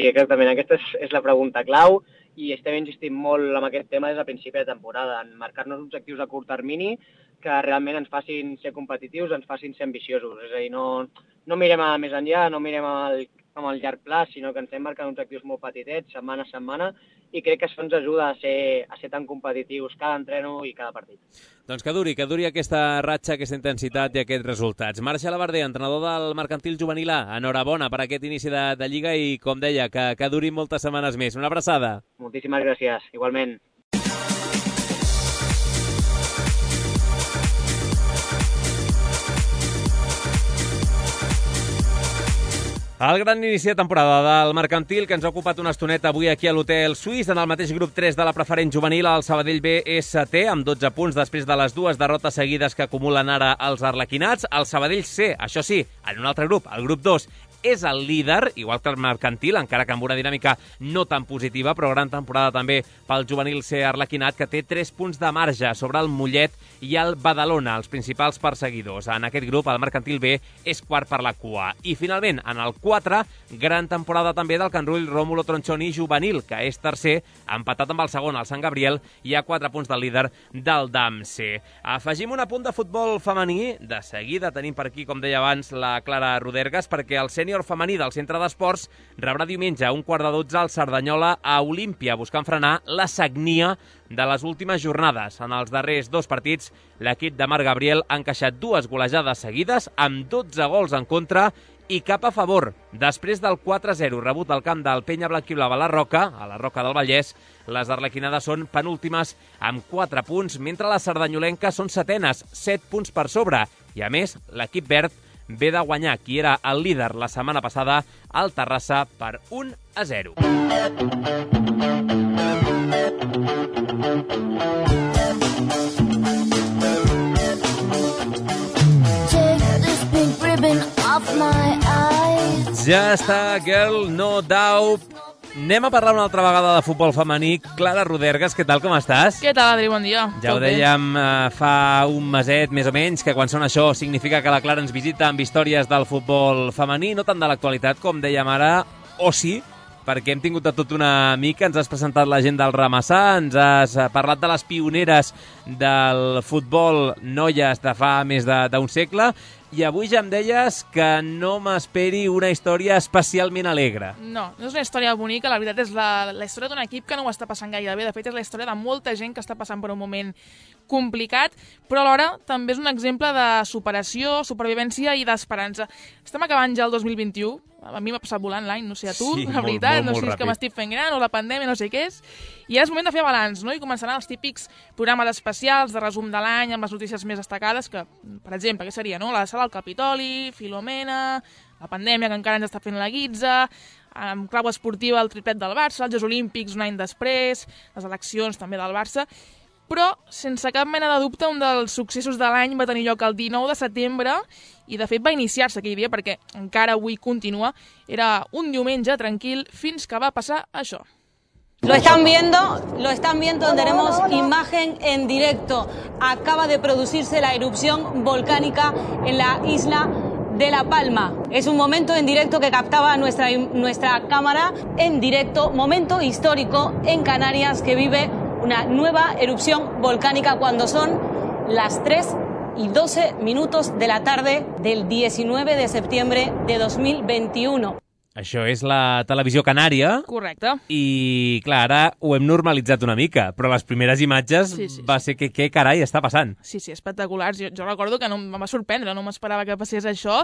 exactament. Aquesta és la pregunta clau i estem insistint molt en aquest tema des del principi de temporada, en marcar-nos objectius a curt termini que realment ens facin ser competitius, ens facin ser ambiciosos. És a dir, no mirem a més enllà, no mirem amb el llarg pla, sinó que ens hem marcat objectius molt petitets, setmana a setmana, i crec que això ens ajuda a ser tan competitius cada entreno i cada partit. Doncs que duri aquesta ratxa, aquesta intensitat i aquests resultats. Marc Xalabarder, entrenador del Mercantil Juvenil A, enhorabona per aquest inici de Lliga i, com deia, que duri moltes setmanes més. Una abraçada. Moltíssimes gràcies, igualment. El gran inici de temporada del Mercantil, que ens ha ocupat una estoneta avui aquí a l'Hotel Suís. En el mateix grup 3 de la preferent juvenil, el Sabadell B és setè, amb 12 punts després de les 2 derrotes seguides que acumulen ara els arlequinats. El Sabadell C, això sí, en un altre grup, el grup 2, és el líder, igual que el Mercantil, encara que amb una dinàmica no tan positiva, però gran temporada també pel juvenil C arlequinat, que té 3 punts de marge sobre el Mollet i el Badalona, els principals perseguidors. En aquest grup, el Mercantil B és quart per la cua. I finalment, en el 4, gran temporada també del Can Rull Rómulo Tronchoni juvenil, que és tercer, empatat amb el segon, el Sant Gabriel, i a 4 punts del líder del DAM C. Afegim un apunt de futbol femení. De seguida tenim per aquí, com deia abans, la Clara Rodergas, perquè el sènior femení del Centre d'Esports rebrà diumenge a 11:45 al Cerdanyola a Olímpia, buscant frenar la sagnia de les últimes jornades. En els darrers 2 partits, l'equip de Marc Gabriel ha encaixat 2 golejades seguides amb 12 gols en contra i cap a favor. Després del 4-0 rebut al camp del Penya Blanquiblava a la Roca del Vallès, les arlequinades són penúltimes amb 4 punts, mentre les sardanyolenques són setenes, 7 punts per sobre. I a més, l'equip verd ve de guanyar qui era el líder la setmana passada al Terrassa per 1-0. Ja està, girl, no doubt. Anem a parlar una altra vegada de futbol femení. Clara Rodergas, què tal, com estàs? Què tal, Adri? Bon dia. Ja ho dèiem fa un meset, més o menys, que quan sona això significa que la Clara ens visita amb històries del futbol femení, no tant de l'actualitat, com dèiem ara, o sí, perquè hem tingut de tot una mica. Ens has presentat la gent del Ramassà, ens has parlat de les pioneres del futbol noies de fa més d'un segle, i avui ja em deies que no m'esperi una història especialment alegre. No és una història bonica, la veritat és la història d'un equip que no ho està passant gaire bé. De fet, és la història de molta gent que està passant per un moment complicat, però alhora també és un exemple de superació, supervivència i d'esperança. Estem acabant ja el 2021, a mi m'ha passat volant l'any, no sé a tu, sí, la veritat, molt no sé si és que m'estic fent gran o la pandèmia, no sé què és, i ara és moment de fer balanç, no? I començaran els típics programes especials de resum de l'any amb les notícies més destacades, que, per exemple, què seria, no? La sala del Capitoli, Filomena, la pandèmia que encara ens està fent la guitza, amb clau esportiva el triplet del Barça, els Jocs Olímpics un any després, les eleccions també del Barça, però, sense cap mena de dubte, un dels successos de l'any va tenir lloc el 19 de setembre i, de fet, va iniciar-se aquell dia perquè encara avui continua. Era un diumenge tranquil fins que va passar això. Lo están viendo, tenemos imagen en directo. Acaba de producirse la erupción volcánica en la isla de La Palma. Es un momento en directo que captaba nuestra cámara en directo, momento histórico en Canarias que vive una nueva erupción volcánica cuando son las 3:12 de la tarde del 19 de septiembre de 2021. Això és la televisió canària. Correcte. I, clar, ara ho hem normalitzat una mica, però les primeres imatges va ser que què carai està passant. Sí, espectaculars. Jo recordo que em va sorprendre, no m'esperava que passés això.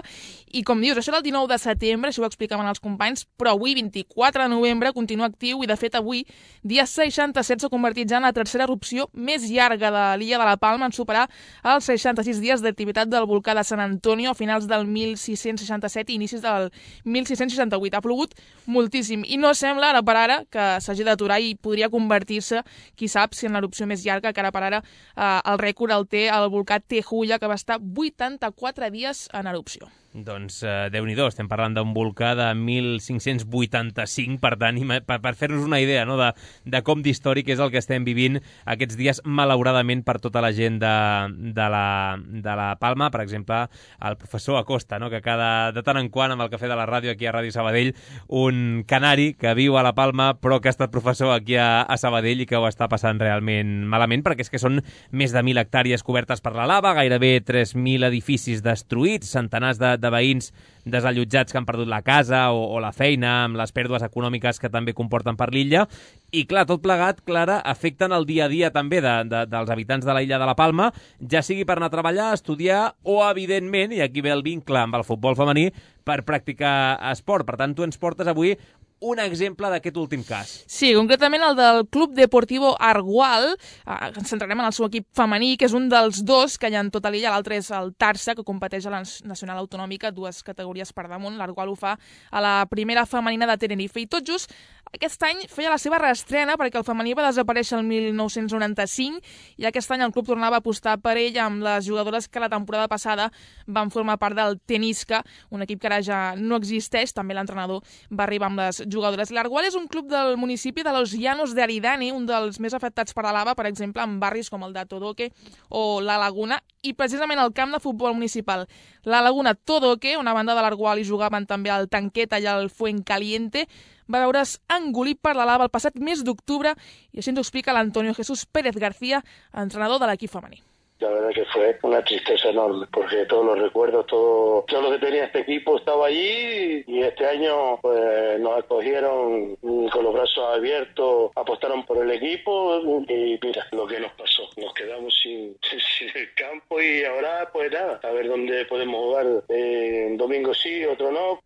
I com dius, això era el 19 de setembre, això ho explicaven els companys, però avui, 24 de novembre, continua actiu i, de fet, avui, dia 67, s'ha convertit ja en la tercera erupció més llarga de l'illa de la Palma, en superar els 66 dies d'activitat del volcà de San Antonio a finals del 1667 i inicis del 1668. Ha plogut moltíssim i no sembla, ara per ara, que s'hagi d'aturar i podria convertir-se, qui sap, si en l'erupció més llarga, que ara per ara el rècord el té el volcà Tejuya, que va estar 84 dies en erupció. Doncs Déu-n'hi-do, estem parlant d'un volcà de 1585, per tant, per fer-nos una idea, no?, de com d'històric és el que estem vivint aquests dies, malauradament, per tota la gent de la Palma. Per exemple, el professor Acosta, no?, que de tant en quant, amb el cafè de la ràdio aquí a Ràdio Sabadell, un canari que viu a la Palma però que ha estat professor aquí a Sabadell i que ho està passant realment malament, perquè és que són més de 1.000 hectàrees cobertes per la lava, gairebé 3.000 edificis destruïts, centenars de veïns desallotjats que han perdut la casa o la feina, amb les pèrdues econòmiques que també comporten per l'illa. I, clar, tot plegat, Clara, afecten el dia a dia també dels habitants de la illa de la Palma, ja sigui per anar a treballar, a estudiar o, evidentment, i aquí ve el vincle amb el futbol femení, per practicar esport. Per tant, tu ens portes avui un exemple d'aquest últim cas. Sí, concretament el del Club Deportivo Argual. Ens centrarem en el seu equip femení, que és un dels dos que hi ha en tota l'illa. L'altre és el Tarsa, que competeix a la Nacional Autonòmica, 2 categories per damunt. L'Argual ho fa a la primera femenina de Tenerife. I tot just aquest any feia la seva reestrena, perquè el femení va desaparèixer el 1995 i aquest any el club tornava a apostar per ell amb les jugadores que la temporada passada van formar part del Tenisca, un equip que ara ja no existeix. També l'entrenador va arribar amb les jugadores. L'Argual és un club del municipi de Los Llanos de Aridane, un dels més afectats per la lava, per exemple, en barris com el de Todoque o La Laguna, i precisament el camp de futbol municipal La Laguna Todoque, una banda de l'Argual hi jugaven també el Tanqueta i el Fuencaliente, va veure's engolit per la lava el passat mes d'octubre, i així ens ho explica l'Antonio Jesús Pérez García, entrenador de l'equip femení. La verdad que fue una tristeza enorme, porque todos los recuerdos, todo lo que tenía este equipo estaba allí, y este año pues nos acogieron con los brazos abiertos, apostaron por el equipo, y mira lo que nos pasó. Nos quedamos sin el campo y ahora pues nada, a ver dónde podemos jugar, un domingo sí, otro no.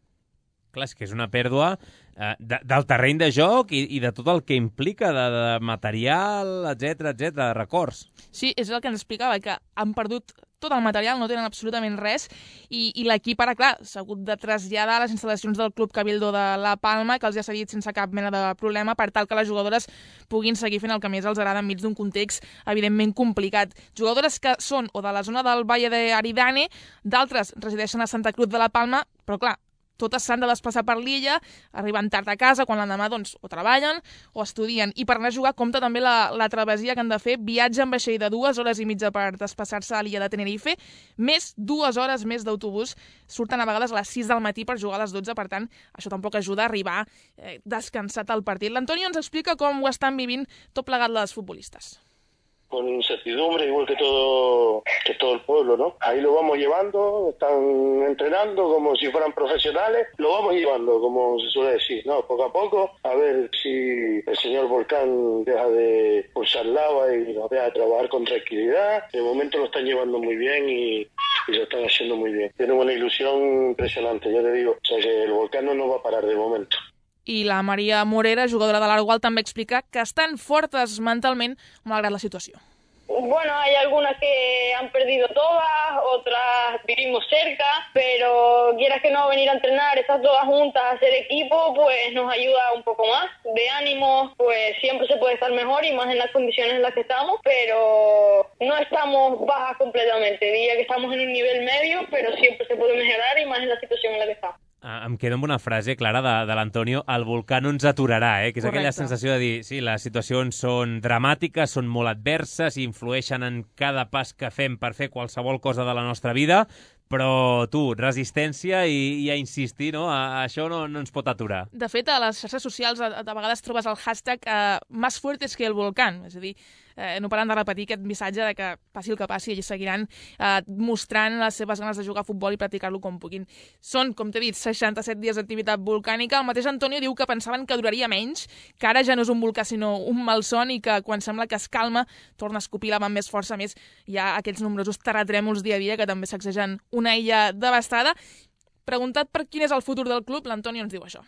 Clar, és que és una pèrdua del terreny de joc i de tot el que implica, de material, etc, de records. Sí, és el que ens explicava, que han perdut tot el material, no tenen absolutament res, i l'equip ara, clar, s'ha hagut de traslladar a les instal·lacions del Club Cabildo de La Palma, que els ha cedit sense cap mena de problema, per tal que les jugadores puguin seguir fent el que més els agrada enmig d'un context evidentment complicat. Jugadores que són o de la zona del Valle de Aridane, d'altres resideixen a Santa Cruz de la Palma, però clar, totes s'han de desplaçar per l'illa, arriben tard a casa, quan l'endemà doncs, o treballen o estudien. I per anar a jugar compta també la travessia que han de fer, viatge en vaixell de 2 hores i mitja per desplaçar-se a l'illa de Tenerife, més 2 hores més d'autobús. Surten a vegades a les 6 del matí per jugar a les 12, per tant, això tampoc ajuda a arribar descansat al partit. L'Antonio ens explica com ho estan vivint tot plegat les futbolistes. Con incertidumbre, igual que todo el pueblo, ¿no? Ahí lo vamos llevando, están entrenando como si fueran profesionales, lo vamos llevando, como se suele decir, ¿no? Poco a poco, a ver si el señor Volcán deja de pulsar lava y nos deja de trabajar con tranquilidad. De momento lo están llevando muy bien y lo están haciendo muy bien. Tienen una ilusión impresionante, ya te digo. O sea que el volcán no nos va a parar de momento. I la Maria Morera, jugadora de l'Argual, també explica que estan fortes mentalment malgrat la situació. Bueno, hay algunas que han perdido todas, otras vivimos cerca, pero quieras que no, venir a entrenar, estas todas juntas, a hacer equipo, pues nos ayuda un poco más. De ánimo, pues siempre se puede estar mejor y más en las condiciones en las que estamos, pero no estamos bajas completamente. Diría que estamos en un nivel medio, pero siempre se puede mejorar y más en la situación en la que estamos. Em quedo amb una frase, Clara, de l'Antonio: el volcà no ens aturarà, que és aquella sensació de dir, sí, les situacions són dramàtiques, són molt adverses, influeixen en cada pas que fem per fer qualsevol cosa de la nostra vida, però tu, resistència i a insistir, no? Això no ens pot aturar. De fet, a les xarxes socials a vegades trobes el hashtag más fuertes que el volcán, és a dir, no paren de repetir aquest missatge de que passi el que passi, ells seguiran mostrant les seves ganes de jugar a futbol i practicar-lo com puguin. Són, com t'he dit, 67 dies d'activitat volcànica. El mateix Antonio diu que pensaven que duraria menys, que ara ja no és un volcà sinó un malson i que quan sembla que es calma torna a escopir lava amb més força. A més, hi ha aquests nombrosos terratrèmols dia a dia que també sacsegen una illa devastada. Preguntat per quin és el futur del club, l'Antonio ens diu això.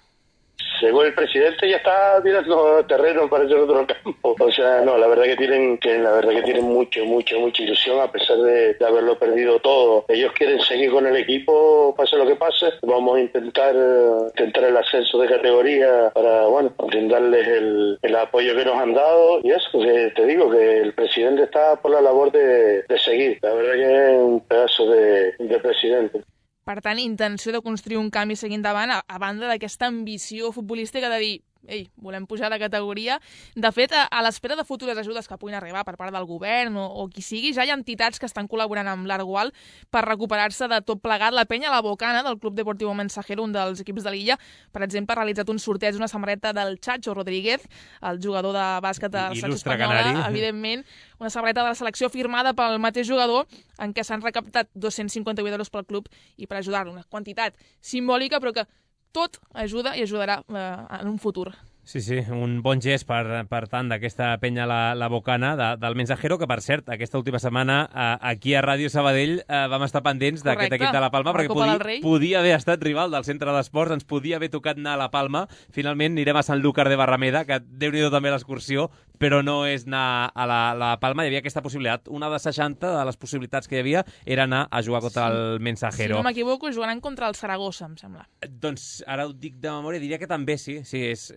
Según el presidente ya está tirando terreno para ese otro campo. O sea, no, la verdad que tienen mucha ilusión a pesar de haberlo perdido todo. Ellos quieren seguir con el equipo, pase lo que pase. Vamos a intentar el ascenso de categoría para, bueno, brindarles el apoyo que nos han dado. Y eso, que te digo que el presidente está por la labor de seguir. La verdad que es un pedazo de presidente. Per tant, intenció de construir un canvi seguint endavant, a banda d'aquesta ambició futbolística de dir ei, volem pujar de categoria. De fet, a l'espera de futures ajudes que puguin arribar per part del govern o qui sigui, ja hi ha entitats que estan col·laborant amb l'Argual per recuperar-se de tot plegat. La penya La Bocana, del Club Deportivo Mensajero, un dels equips de l'illa, per exemple, ha realitzat un sorteig d'una samarreta del Chacho Rodríguez, el jugador de bàsquet de la selecció espanyola, evidentment, una samarreta de la selecció firmada pel mateix jugador, en què s'han recaptat 258 euros pel club i per ajudar-lo, una quantitat simbòlica, però que tot ajuda i ajudarà en un futur. Sí, un bon gest per tant d'aquesta penya la Bocana del Mensajero, que per cert, aquesta última setmana aquí a Ràdio Sabadell vam estar pendents d'aquest equip de la Palma, perquè podia haver estat rival del centre d'esports, ens podia haver tocat anar a la Palma. Finalment anirem a Sanlúcar de Barrameda, que déu-n'hi-do també l'excursió, però no és anar a la Palma. Hi havia aquesta possibilitat. Una de 60 de les possibilitats que hi havia era anar a jugar contra el Mensajero. Si no m'equivoco, jugaran contra el Saragossa, em sembla. Doncs ara ho dic de memòria, diria que també sí, és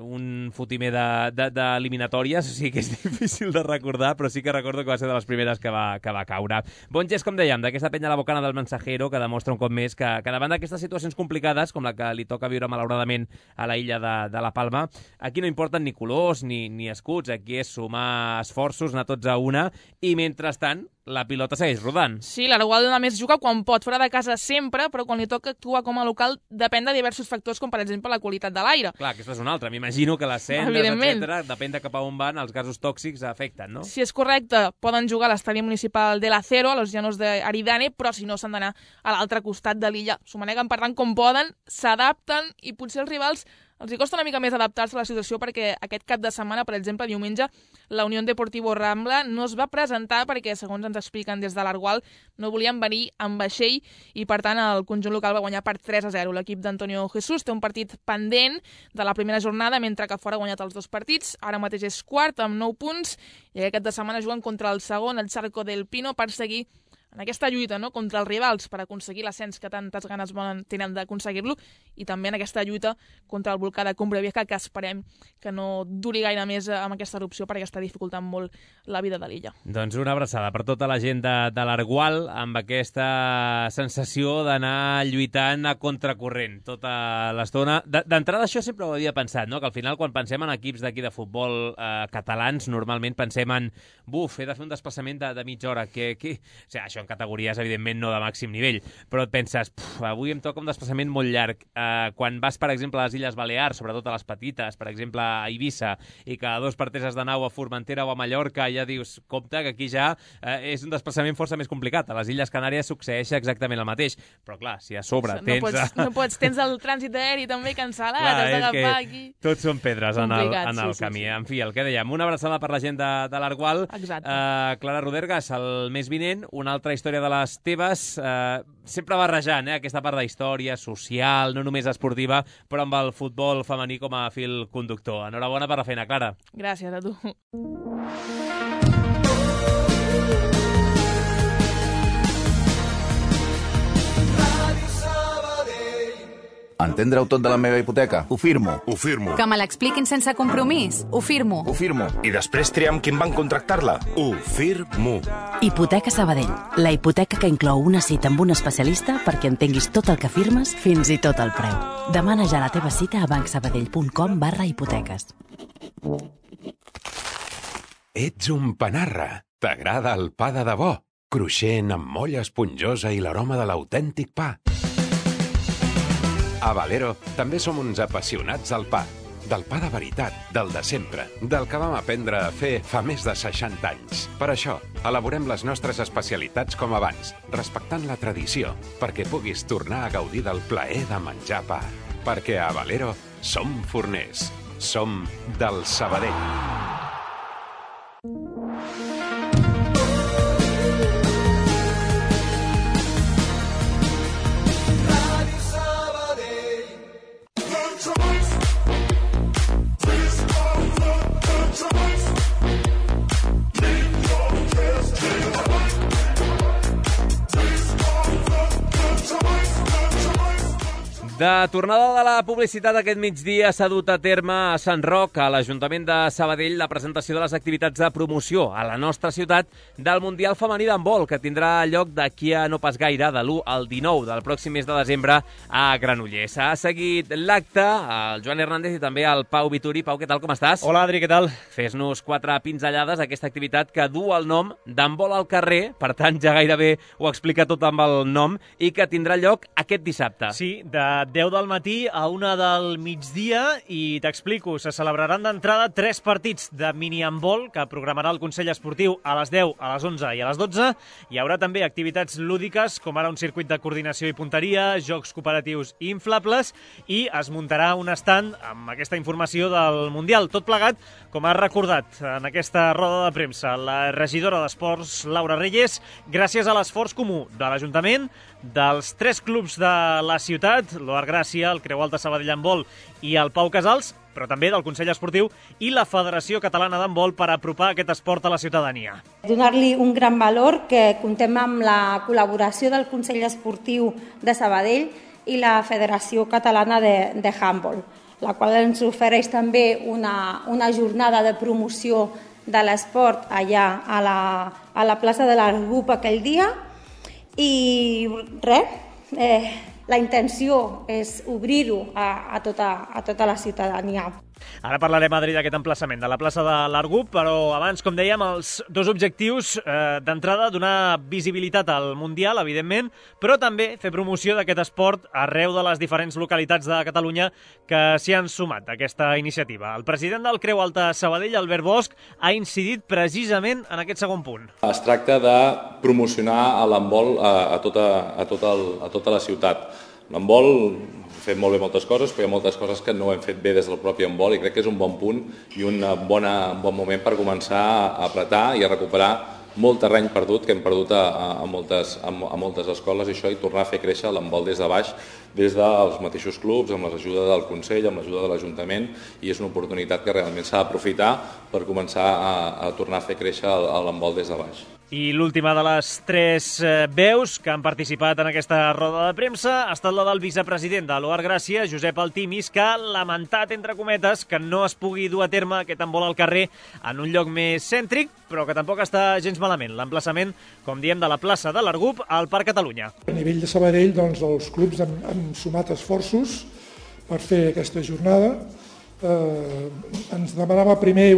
un fotimer d'eliminatòries, o sigui que és difícil de recordar, però sí que recordo que va ser de les primeres que va caure. Bon gest, com dèiem, d'aquesta penya La Bocana del Mensajero, que demostra un cop més que davant d'aquestes situacions complicades, com la que li toca viure malauradament a la illa de la Palma, aquí no importen ni colors ni escuts, aquí és sumar esforços, anar tots a una, i mentrestant la pilota segueix rodant. Sí, l'Argual només juga quan pot, fora de casa sempre, però quan li toca actuar com a local depèn de diversos factors, com per exemple la qualitat de l'aire. Clar, aquesta és una altra. M'imagino que les cendres, etc., depèn de cap a on van, els gasos tòxics afecten, no? Si és correcte, poden jugar a l'estadi municipal de l'Acero, a los llanos d'Aridane, però si no s'han d'anar a l'altre costat de l'illa. S'ho maneguen, per tant, com poden, s'adapten i potser els rivals els hi costa una mica més adaptar-se a la situació perquè aquest cap de setmana, per exemple, diumenge, la Unión Deportivo Rambla no es va presentar perquè, segons ens expliquen des de l'Argual, no volien venir amb vaixell i, per tant, el conjunt local va guanyar per 3-0. L'equip d'Antonio Jesús té un partit pendent de la primera jornada, mentre que fora ha guanyat els 2 partits. Ara mateix és quart, amb 9 punts, i aquest cap de setmana juguen contra el segon, el Charco del Pino, per seguir en aquesta lluita, no?, contra els rivals per aconseguir l'ascens que tantes ganes tenen d'aconseguir-lo, i també en aquesta lluita contra el volcà de Cumbre Vieja, que esperem que no duri gaire més amb aquesta erupció perquè està dificultant molt la vida de l'illa. Doncs una abraçada per tota la gent de l'Argual amb aquesta sensació d'anar lluitant a contracorrent tota l'estona. D'entrada això sempre ho havia pensat, no?, que al final quan pensem en equips d'aquí de futbol catalans normalment pensem en he de fer un desplaçament de mitja hora, o sigui, això en categories, evidentment, no de màxim nivell, però et penses, avui em toca un desplaçament molt llarg. Quan vas, per exemple, a les Illes Balears, sobretot a les petites, per exemple, a Eivissa, i cada 2 partes has d'anar a Formentera o a Mallorca, ja dius, compte, que aquí ja és un desplaçament força més complicat. A les Illes Canàries succeeix exactament el mateix, però clar, si a sobre tens... No pots, tens el trànsit aeri també cancel·lat, has d'agafar aquí... Tots són pedres en el camí. En fi, el que dèiem, una abraçada per la gent de l'Argual. Clara Rodergas, el mes vinent, una altra història de les teves, sempre barrejant aquesta part d'història social, no només esportiva, però amb el futbol femení com a fil conductor. Enhorabona per la feina, Clara. Gràcies a tu. Entendre-ho tot de la meva hipoteca? Ho firmo. Ho firmo. Que me l'expliquin sense compromís? Ho firmo. Ho firmo. I després triar amb quin banc contractar-la? Ho firmo. Hipoteca Sabadell. La hipoteca que inclou una cita amb un especialista perquè entenguis tot el que firmes, fins i tot el preu. Demana ja la teva cita a bancsabadell.com/hipoteques. Ets un panarra. T'agrada el pa de debò? Cruixent, amb molla esponjosa i l'aroma de l'autèntic pa. A Valero també som uns apassionats al pa. del pa de veritat, del de sempre, del que vam aprendre a fer fa més de 60 anys. Per això, elaborem les nostres especialitats com abans, respectant la tradició, perquè puguis tornar a gaudir del plaer de menjar pa. Perquè a Valero som forners. Som del Sabadell. De tornada de la publicitat aquest migdia s'ha dut a terme a Sant Roc, a l'Ajuntament de Sabadell, la presentació de les activitats de promoció a la nostra ciutat del Mundial Femení d'Handbol, que tindrà lloc d'aquí a no pas gaire, de l'1 al 19 del pròxim mes de desembre a Granollers. Ha seguit l'acte el Joan Hernández i també el Pau Vituri. Pau, què tal, com estàs? Hola, Adri, què tal? Fes-nos 4 pinzellades a aquesta activitat que du el nom d'Handbol al carrer, per tant ja gairebé ho explica tot amb el nom, i que tindrà lloc aquest dissabte. Sí, de 10 del matí a 1 del migdia, i t'explico, se celebraran d'entrada 3 partits de mini-handbol que programarà el Consell Esportiu a les 10, a les 11 i a les 12. Hi haurà també activitats lúdiques, com ara un circuit de coordinació i punteria, jocs cooperatius i inflables, i es muntarà un estand amb aquesta informació del Mundial. Tot plegat, com ha recordat en aquesta roda de premsa la regidora d'Esports, Laura Reyes, gràcies a l'esforç comú de l'Ajuntament, dels 3 clubs de la ciutat, l'Oar Gràcia, el Creu Alta Sabadell Handbol i el Pau Casals, però també del Consell Esportiu i la Federació Catalana d'Handbol per apropar aquest esport a la ciutadania. Donar-li un gran valor, que contem amb la col·laboració del Consell Esportiu de Sabadell i la Federació Catalana de Handbol, la qual ens ofereix també una jornada de promoció de l'esport allà a la plaça de l'Argup aquell dia. I res, la intenció és obrir-ho a tota la ciutadania. Ara parlarem, Adri, d'aquest emplaçament de la plaça de l'Argup, però abans, com dèiem, els 2 objectius d'entrada, donar visibilitat al Mundial, evidentment, però també fer promoció d'aquest esport arreu de les diferents localitats de Catalunya que s'hi han sumat a aquesta iniciativa. El president del Creu Alta Sabadell, Albert Bosch, ha incidit precisament en aquest segon punt. Es tracta de promocionar l'handbol a tota la ciutat. L'handbol hem fet molt bé moltes coses, però hi ha moltes coses que no hem fet bé des del propi handbol, i crec que és un bon punt i un bon moment per començar a apretar i a recuperar molt terreny perdut que hem perdut a moltes escoles, i això, i tornar a fer créixer l'handbol des de baix, des dels mateixos clubs, amb l'ajuda del Consell, amb l'ajuda de l'Ajuntament, i és una oportunitat que realment s'ha d'aprofitar per començar a tornar a fer créixer l'handbol des de baix. I l'última de les 3 veus que han participat en aquesta roda de premsa ha estat la del vicepresident de l'Oar Gràcia, Josep Altimis, que ha lamentat, entre cometes, que no es pugui dur a terme aquest handbol al carrer en un lloc més cèntric, però que tampoc està gens malament. L'emplaçament, com diem, de la plaça de l'Argup al Parc Catalunya. A nivell de Sabadell, doncs, els clubs han sumat esforços per fer aquesta jornada. Ens demanava primer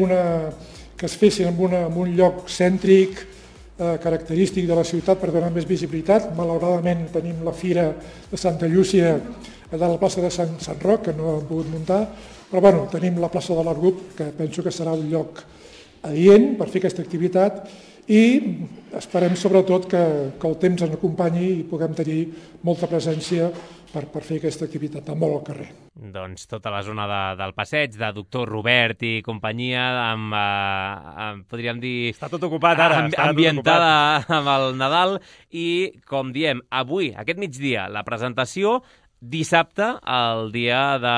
que es fessin en un lloc cèntric, característic de la ciutat, per donar més visibilitat. Malauradament tenim la Fira de Santa Llúcia a la plaça de Sant Roc, que no hem pogut muntar, però bueno, tenim la plaça de l'Argup, que penso que serà un lloc adient per fer aquesta activitat, i esperem sobretot que el temps ens acompanyi i puguem tenir molta presència per fer aquesta activitat de molt al carrer. Doncs tota la zona del passeig, de Doctor Robert i companyia, podríem dir... Està tot ocupat ara. Ambientada amb el Nadal, i, com diem, avui, aquest migdia, la presentació, dissabte, el dia de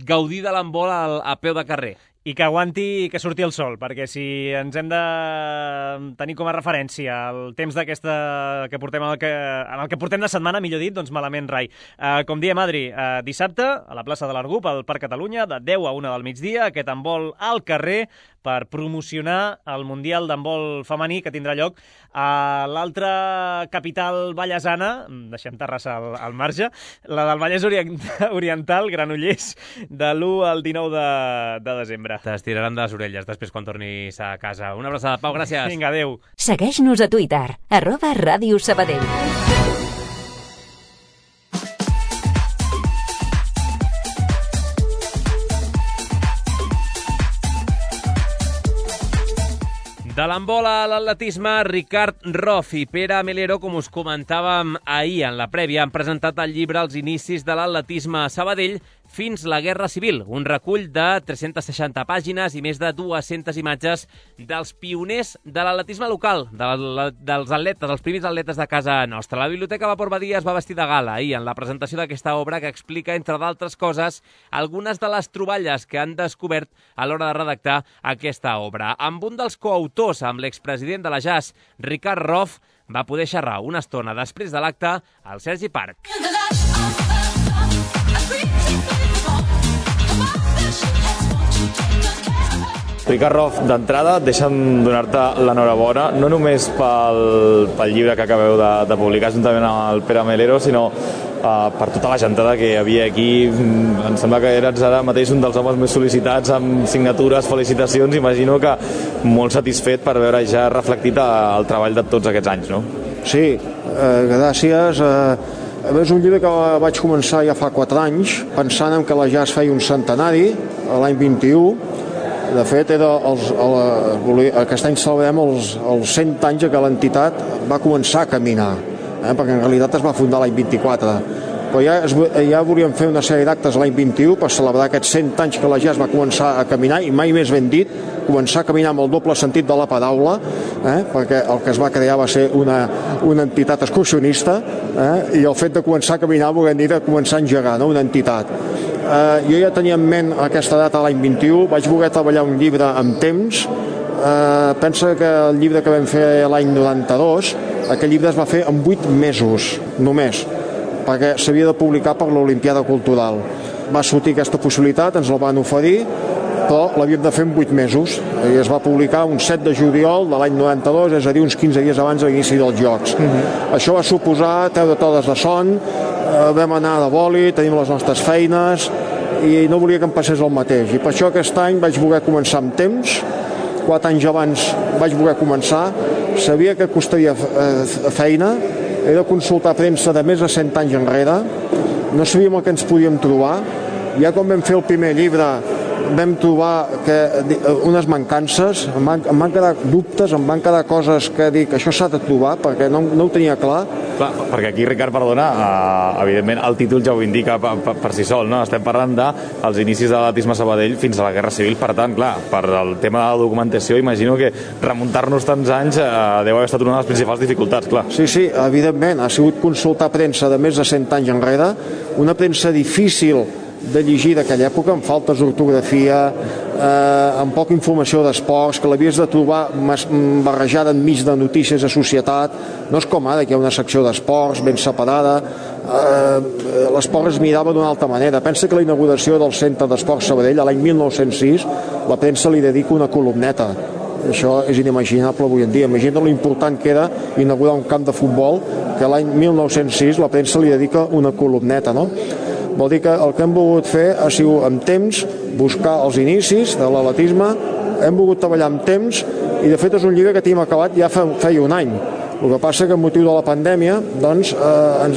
gaudir de l'handbol a peu de carrer. I que aguanti i que surti el sol, perquè si ens hem de tenir com a referència el temps que portem en el que portem de setmana, millor dit, doncs malament rai. Com diem, Adri, dissabte a la plaça de l'Argup, al Parc Catalunya, de 10 a 1 del migdia, aquest handbol al carrer per promocionar el Mundial d'handbol femení que tindrà lloc a l'altra capital vallesana, deixem Terrassa al marge, la del Vallès Oriental, Granollers, de l'1 al 19 de desembre. T'estiraran de les orelles després quan tornis a casa. Una abraçada, Pau, gràcies. Vinga, adéu. Segueix-nos a Twitter, @Ràdio Sabadell. De l'handbol a l'atletisme, Ricard Roth i Pere Melero, com us comentàvem ahir en la prèvia, han presentat el llibre Els inicis de l'atletisme a Sabadell fins la Guerra Civil, un recull de 360 pàgines i més de 200 imatges dels pioners de l'atletisme local, dels atletes, els primers atletes de casa nostra. La Biblioteca Vapor Badia es va vestir de gala ahir en la presentació d'aquesta obra que explica, entre d'altres coses, algunes de les troballes que han descobert a l'hora de redactar aquesta obra. Amb un dels coautors, amb l'expresident de la JAS, Ricard Roth, va poder xerrar una estona després de l'acte al Sergi Parc. Ricard Roth, d'entrada, deixa'm donar-te l'enhorabona, no només pel llibre que acabeu de publicar juntament amb el Pere Melero, sinó per tota la gentada que hi havia aquí. Em sembla que eres ara mateix un dels homes més sol·licitats, amb signatures, felicitacions. Imagino que molt satisfet per veure ja reflectit el treball de tots aquests anys, no? Sí, gràcies. És un llibre que vaig començar ja fa 4 anys, pensant en que la JAS feia un centenari, l'any 21. De fet, aquest any celebrem els 100 anys que l'entitat va començar a caminar, perquè en realitat es va fundar l'any 24. Però ja volíem fer una sèrie d'actes l'any 21 per celebrar aquests 100 anys que la JAS va començar a caminar, i mai més ben dit, començar a caminar amb el doble sentit de la paraula, perquè el que es va crear va ser una entitat excursionista, i el fet de començar a caminar vol dir de començar a engegar, no? Una entitat. Jo ja tenia en ment aquesta data l'any 21, vaig voler treballar un llibre amb temps. Pensa que el llibre que vam fer l'any 92, aquell llibre es va fer en 8 mesos, només, perquè s'havia de publicar per l'Olimpiada Cultural. Va sortir aquesta possibilitat, ens la van oferir, però l'havíem de fer en 8 mesos, i es va publicar un 7 de juliol de l'any 92, és a dir, uns 15 dies abans de l'inici dels Jocs. Això va suposar treure totes de son, vam anar de boli, tenim les nostres feines, i no volia que em passés el mateix. I per això aquest any vaig voler començar amb temps, 4 anys abans vaig voler començar, sabia que costaria feina, he de consultar premsa de més de 100 anys enrere, no sabíem el que ens podíem trobar. Ja quan vam fer el primer llibre vam trobar unes mancances, em van quedar dubtes, em van quedar coses que dic, això s'ha de trobar, perquè no ho tenia clar. Clar, perquè aquí, Ricard, perdona, evidentment el títol ja ho indica per si sol, no? Estem parlant dels inicis de l'atletisme a Sabadell fins a la Guerra Civil, per tant, clar, per el tema de la documentació, imagino que remuntar-nos tants anys deu haver estat una de les principals dificultats, clar. Sí, evidentment, ha sigut consultar premsa de més de 100 anys enrere, una premsa difícil de llegir d'aquella època, amb faltes d'ortografia, amb poca informació d'esports, que l'havies de trobar barrejada enmig de notícies de societat. No és com ara, que hi ha una secció d'esports ben separada. L'esport es mirava d'una altra manera. Pensa que la inauguració del Centre d'Esports Sabadell, l'any 1906, la premsa li dedica una columneta. Això és inimaginable avui en dia. Imagina l'important que era inaugurar un camp de futbol, que l'any 1906 la premsa li dedica una columneta, no? Vol dir que el que hem volgut fer ha sigut amb temps buscar els inicis de l'atletisme, hem volgut treballar amb temps, i de fet és un llibre que tenim acabat ja feia un any. El que passa que amb motiu de la pandèmia ens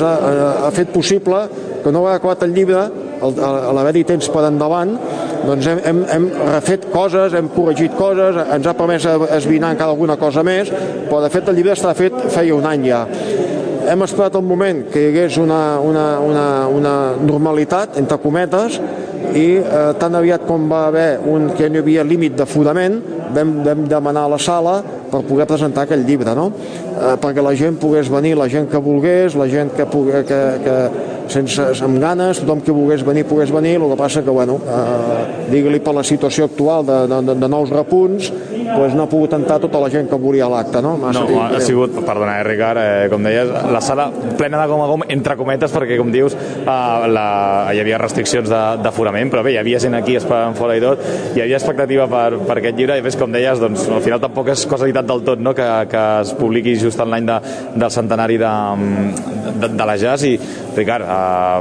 ha fet possible que no ha acabat el llibre, a l'haver-hi temps per endavant, doncs hem refet coses, hem corregit coses, ens ha permès esbrinar encara alguna cosa més, però de fet el llibre està fet feia un any ja. Hem esperat el moment que hi hagués una normalitat, entre cometes, i tan aviat com va haver que no hi havia límit d'aforament, vam demanar a la sala per poder presentar aquell llibre, no? Perquè la gent pogués venir, la gent que volgués, la gent que amb ganes, tothom que volgués venir, el que passa que, digue-li per la situació actual de nous repunts, doncs no ha pogut entrar tota la gent que volia l'acte, no? Ha sigut, perdona, Ricard, com deies, la sala plena de gom a gom, entre cometes, perquè, com dius, hi havia restriccions d'aforament, però bé, hi havia gent aquí esperant fora i tot, hi havia expectativa per aquest llibre, i a més, com deies, doncs, al final tampoc és casualitat del tot, no?, que es publiqui just en l'any del centenari de la JAS. I, Ricard,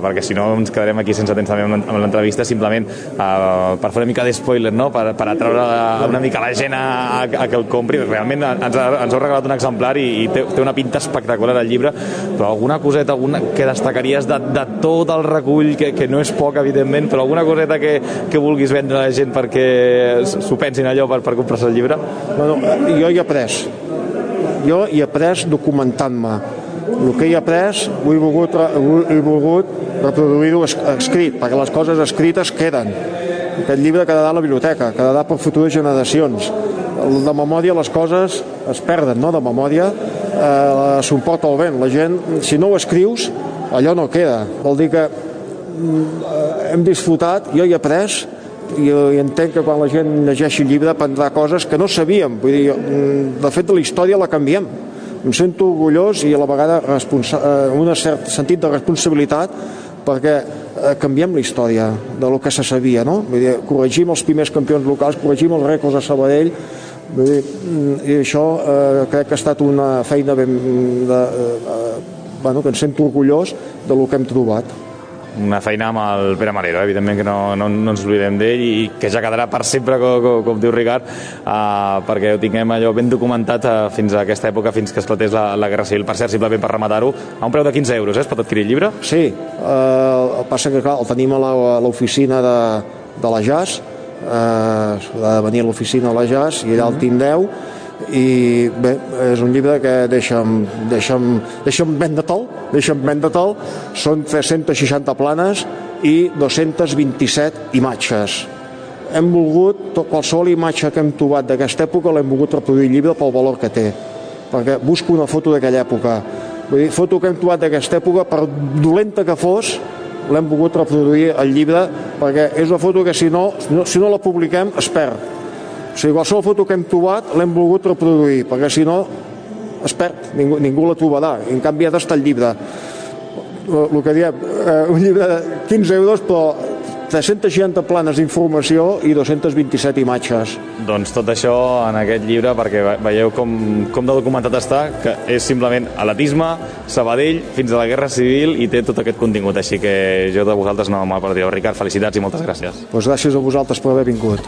perquè si no ens quedarem aquí sense temps també amb l'entrevista, simplement per fer una mica d'espoiler, no?, per atraure una mica la gent a que el compri. Realment ens heu regalat un exemplar i té una pinta espectacular el llibre, però alguna coseta que destacaries de tot el recull, que no és poc, evidentment, però alguna coseta que vulguis vendre a la gent perquè s'ho pensin allò per comprar-se el llibre? Bueno, jo hi he après. Jo hi he après documentant-me. El que hi he après he volgut reproduir-ho escrit, perquè les coses escrites queden. Aquest llibre quedarà a la biblioteca, quedarà per futures generacions. De memòria les coses es perden, no? De memòria s'ho emporta el vent. La gent, si no ho escrius, allò no queda. Vol dir que hem disfrutat, jo hi he après, i entenc que quan la gent llegeixi el llibre aprendrà coses que no sabíem. Vull dir, de fet, la història la canviem. Em sento orgullós i a la vegada un cert sentit de responsabilitat perquè canviem la història del que se sabia, no? Vull dir, corregim els primers campions locals, corregim els rècords de Sabadell, vull dir, i això crec que ha estat una feina que em sento orgullós del que hem trobat. Una feina amb el Pere Marero, evidentment que no ens oblidem d'ell i que ja quedarà per sempre, com diu Ricard, perquè ho tinguem allò ben documentat fins a aquesta època, fins que esclatés la Guerra Civil. Per cert, simplement per rematar-ho, a un preu de 15 euros, es pot adquirir el llibre? Sí, el passa que clar, el tenim a l'oficina de la JAS, ha de venir a l'oficina de la JAS i allà el tindreu. I bé, és un llibre que deixa'm vendre-te'l, són 360 planes i 227 imatges. Hem volgut, qualsevol imatge que hem trobat d'aquesta època l'hem volgut reproduir el llibre pel valor que té, perquè busco una foto d'aquella època. Vull dir, foto que hem trobat d'aquesta època, per dolenta que fos, l'hem volgut reproduir al llibre, perquè és una foto que si no la publiquem es perd. O sigui, qualsevol foto que hem trobat l'hem volgut reproduir, perquè si no es perd, ningú la trobarà. En canvi ha d'estar el llibre. El que diem, un llibre de 15 euros, però 360 planes d'informació i 227 imatges. Doncs tot això en aquest llibre, perquè veieu com de documentat està, que és simplement atletisme, Sabadell, fins a la Guerra Civil, i té tot aquest contingut. Així que jo de vosaltres no me'l perdré. Ricard, felicitats i moltes gràcies. Doncs gràcies a vosaltres per haver vingut.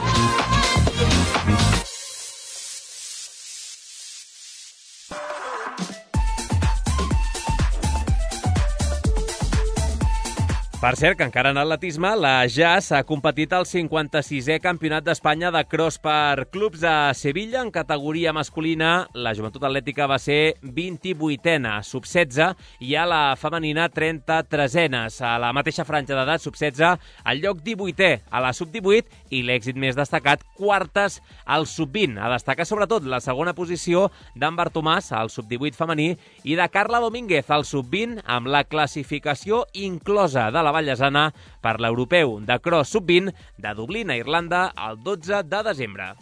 Per cert, que encara en atletisme, la JAS ha competit al 56è Campionat d'Espanya de cross per clubs a Sevilla. En categoria masculina, la joventut atlètica va ser 28a, sub-16, i a la femenina 33enes. A la mateixa franja d'edat, sub-16, el lloc 18è a la sub-18 i l'èxit més destacat, quartes al sub-20. A destacar sobretot la segona posició d'en Bartomàs, al sub-18 femení, i de Carla Domínguez, al sub-20, amb la classificació inclosa de la Vallesana per l'Europeu de Cross Sub-20 de Dublín, a Irlanda, el 12 de desembre.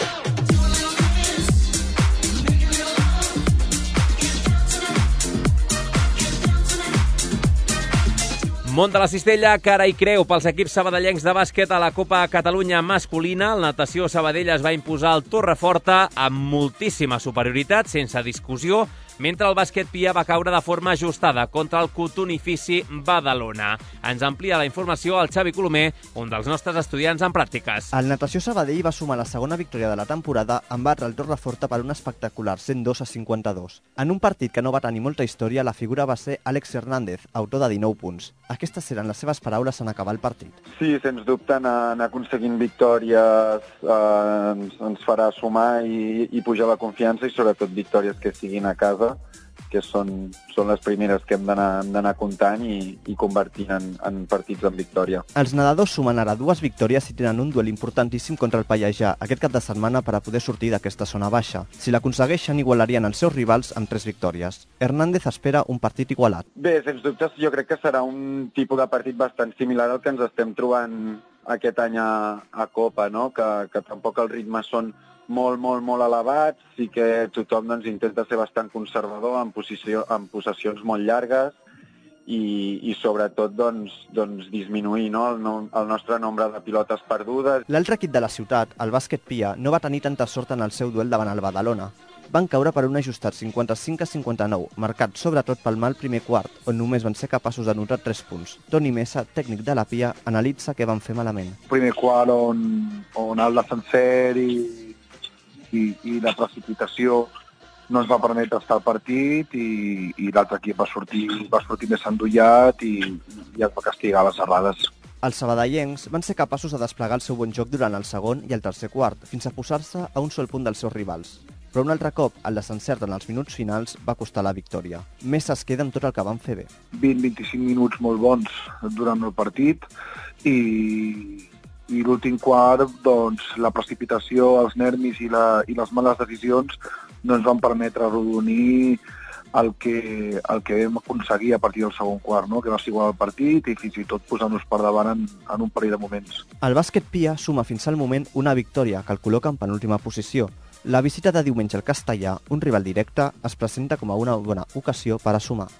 Mont de la Cistella, cara i creu pels equips sabadellencs de bàsquet a la Copa Catalunya masculina. El Natació Sabadell es va imposar al Torreforta amb moltíssima superioritat, sense discussió, mentre el bàsquet Pia va caure de forma ajustada contra el Cotonifici Badalona. Ens amplia la informació el Xavi Colomer, un dels nostres estudiants en pràctiques. El Natació Sabadell va sumar la segona victòria de la temporada en batre el Torreforta per un espectacular 102-52. En un partit que no va tenir molta història, la figura va ser Àlex Hernández, autor de 19 punts. Aquestes eren les seves paraules en acabar el partit. Sí, sens dubte, anar aconseguint victòries ens farà sumar i pujar la confiança, i sobretot victòries que siguin a casa, que són les primeres que hem d'anar comptant i convertint en partits en victòria. Els nedadors sumen ara 2 victòries i tenen un duel importantíssim contra el Pallejà aquest cap de setmana per a poder sortir d'aquesta zona baixa. Si l'aconsegueixen, igualarien els seus rivals amb 3 victòries. Hernández espera un partit igualat. Bé, sens dubte, jo crec que serà un tipus de partit bastant similar al que ens estem trobant aquest any a Copa, no? Que tampoc els ritmes són molt elevats, sí que tothom intenta ser bastant conservador en possessions molt llargues i sobretot disminuir el nostre nombre de pilotes perdudes. L'altre equip de la ciutat, el bàsquet Pia, no va tenir tanta sort en el seu duel davant el Badalona. Van caure per un ajustat 55-59, marcat sobretot pel mal primer quart, on només van ser capaços d'anotar 3 punts. Toni Mesa, tècnic de la Pia, analitza què van fer malament. Primer quart on el defenser i la precipitació no ens va permetre estar al partit i l'altre equip va sortir més endollat i es va castigar les errades. Els sabadellencs van ser capaços de desplegar el seu bon joc durant el segon i el tercer quart, fins a posar-se a un sol punt dels seus rivals. Però un altre cop, el desencert en els minuts finals va costar la victòria. Més es queda amb tot el que van fer bé. 20-25 minuts molt bons durant el partit i l'últim quart, doncs, la precipitació, els nervis i les males decisions no ens van permetre arrodonir el que vam aconseguir a partir del segon quart, no? Que va ser igual el partit i fins i tot posar-nos per davant en un parell de moments. El bàsquet Pia suma fins al moment una victòria que el col·loca en penúltima posició. La visita de diumenge al Castellà, un rival directe, es presenta com a una bona ocasió per a sumar.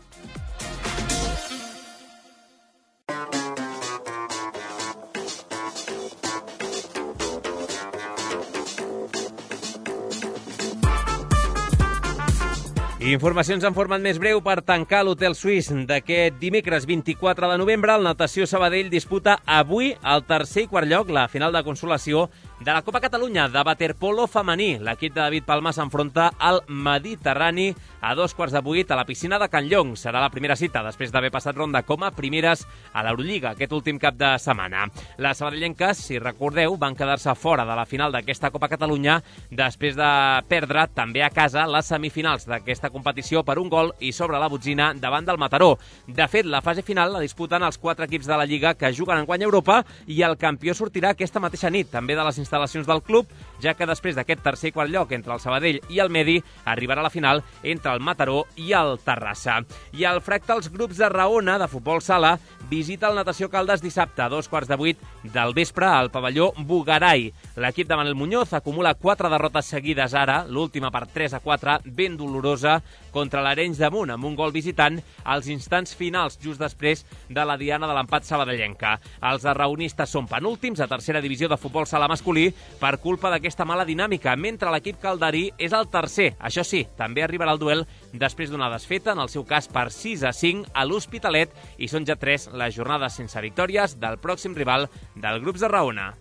Informacions en format més breu per tancar l'Hotel Suís d'aquest dimecres 24 de novembre. El Natació Sabadell disputa avui el tercer i quart lloc, la final de consolació de la Copa Catalunya de waterpolo femení. L'equip de David Palma s'enfronta al Mediterrani a 7:15 a la piscina de Can Llong. Serà la primera cita després d'haver passat ronda com a primeres a l'Eurolliga aquest últim cap de setmana. Les sabadellenques, si recordeu, van quedar-se fora de la final d'aquesta Copa Catalunya després de perdre també a casa les semifinals d'aquesta competició per un gol i sobre la botzina davant del Mataró. De fet, la fase final la disputen els 4 equips de la Lliga que juguen enguany a Europa i el campió sortirà aquesta mateixa nit, també de les instal·lacions del club, ja que després d'aquest tercer i quart lloc entre el Sabadell i el Medi arribarà la final entre el Mataró i el Terrassa. I el Fractals Grups de Raona, de futbol sala, visita el Natació Caldes dissabte a 7:15 del vespre al pavelló Bugaray. L'equip de Manel Muñoz acumula 4 derrotes seguides ara, l'última per 3-4, ben dolorosa, contra l'Arenys de Munt, amb un gol visitant als instants finals, just després de la diana de l'empat sabadellenca. Els arraonistes són penúltims a tercera divisió de futbol sala masculí per culpa d'aquesta mala dinàmica, mentre l'equip calderí és el tercer. Això sí, també arribarà el duel després d'una desfeta, en el seu cas per 6-5 a l'Hospitalet, i són ja 3 les jornades sense victòries del pròxim rival del Grups de Raona.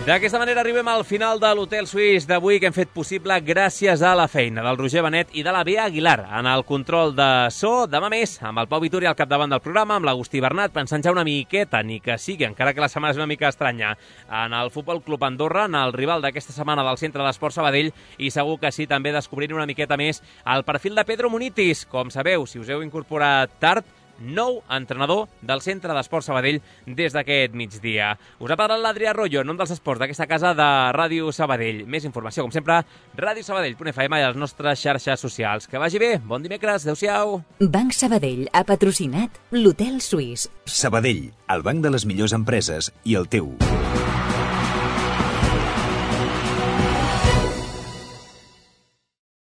D'aquesta manera arribem al final de l'Hotel Suís d'avui, que hem fet possible gràcies a la feina del Roger Benet i de la Bea Aguilar en el control de so. Demà més, amb el Pau Vituri al capdavant del programa, amb l'Agustí Bernat, pensant ja una miqueta, ni que sigui, encara que la setmana és una mica estranya, en el Futbol Club Andorra, en el rival d'aquesta setmana del Centre d'Esport Sabadell, i segur que sí, també descobrir una miqueta més el perfil de Pedro Munitis. Com sabeu, si us heu incorporat tard, nou entrenador del Centre d'Esport Sabadell des d'aquest migdia. Us ha parlat l'Adrià Arroyo, en nom dels esports d'aquesta casa de Ràdio Sabadell. Més informació, com sempre, radiosabadell.fm i a les nostres xarxes socials. Que vagi bé, bon dimecres, adeu-siau. Banc Sabadell ha patrocinat l'Hotel Suís. Sabadell, el banc de les millors empreses i el teu.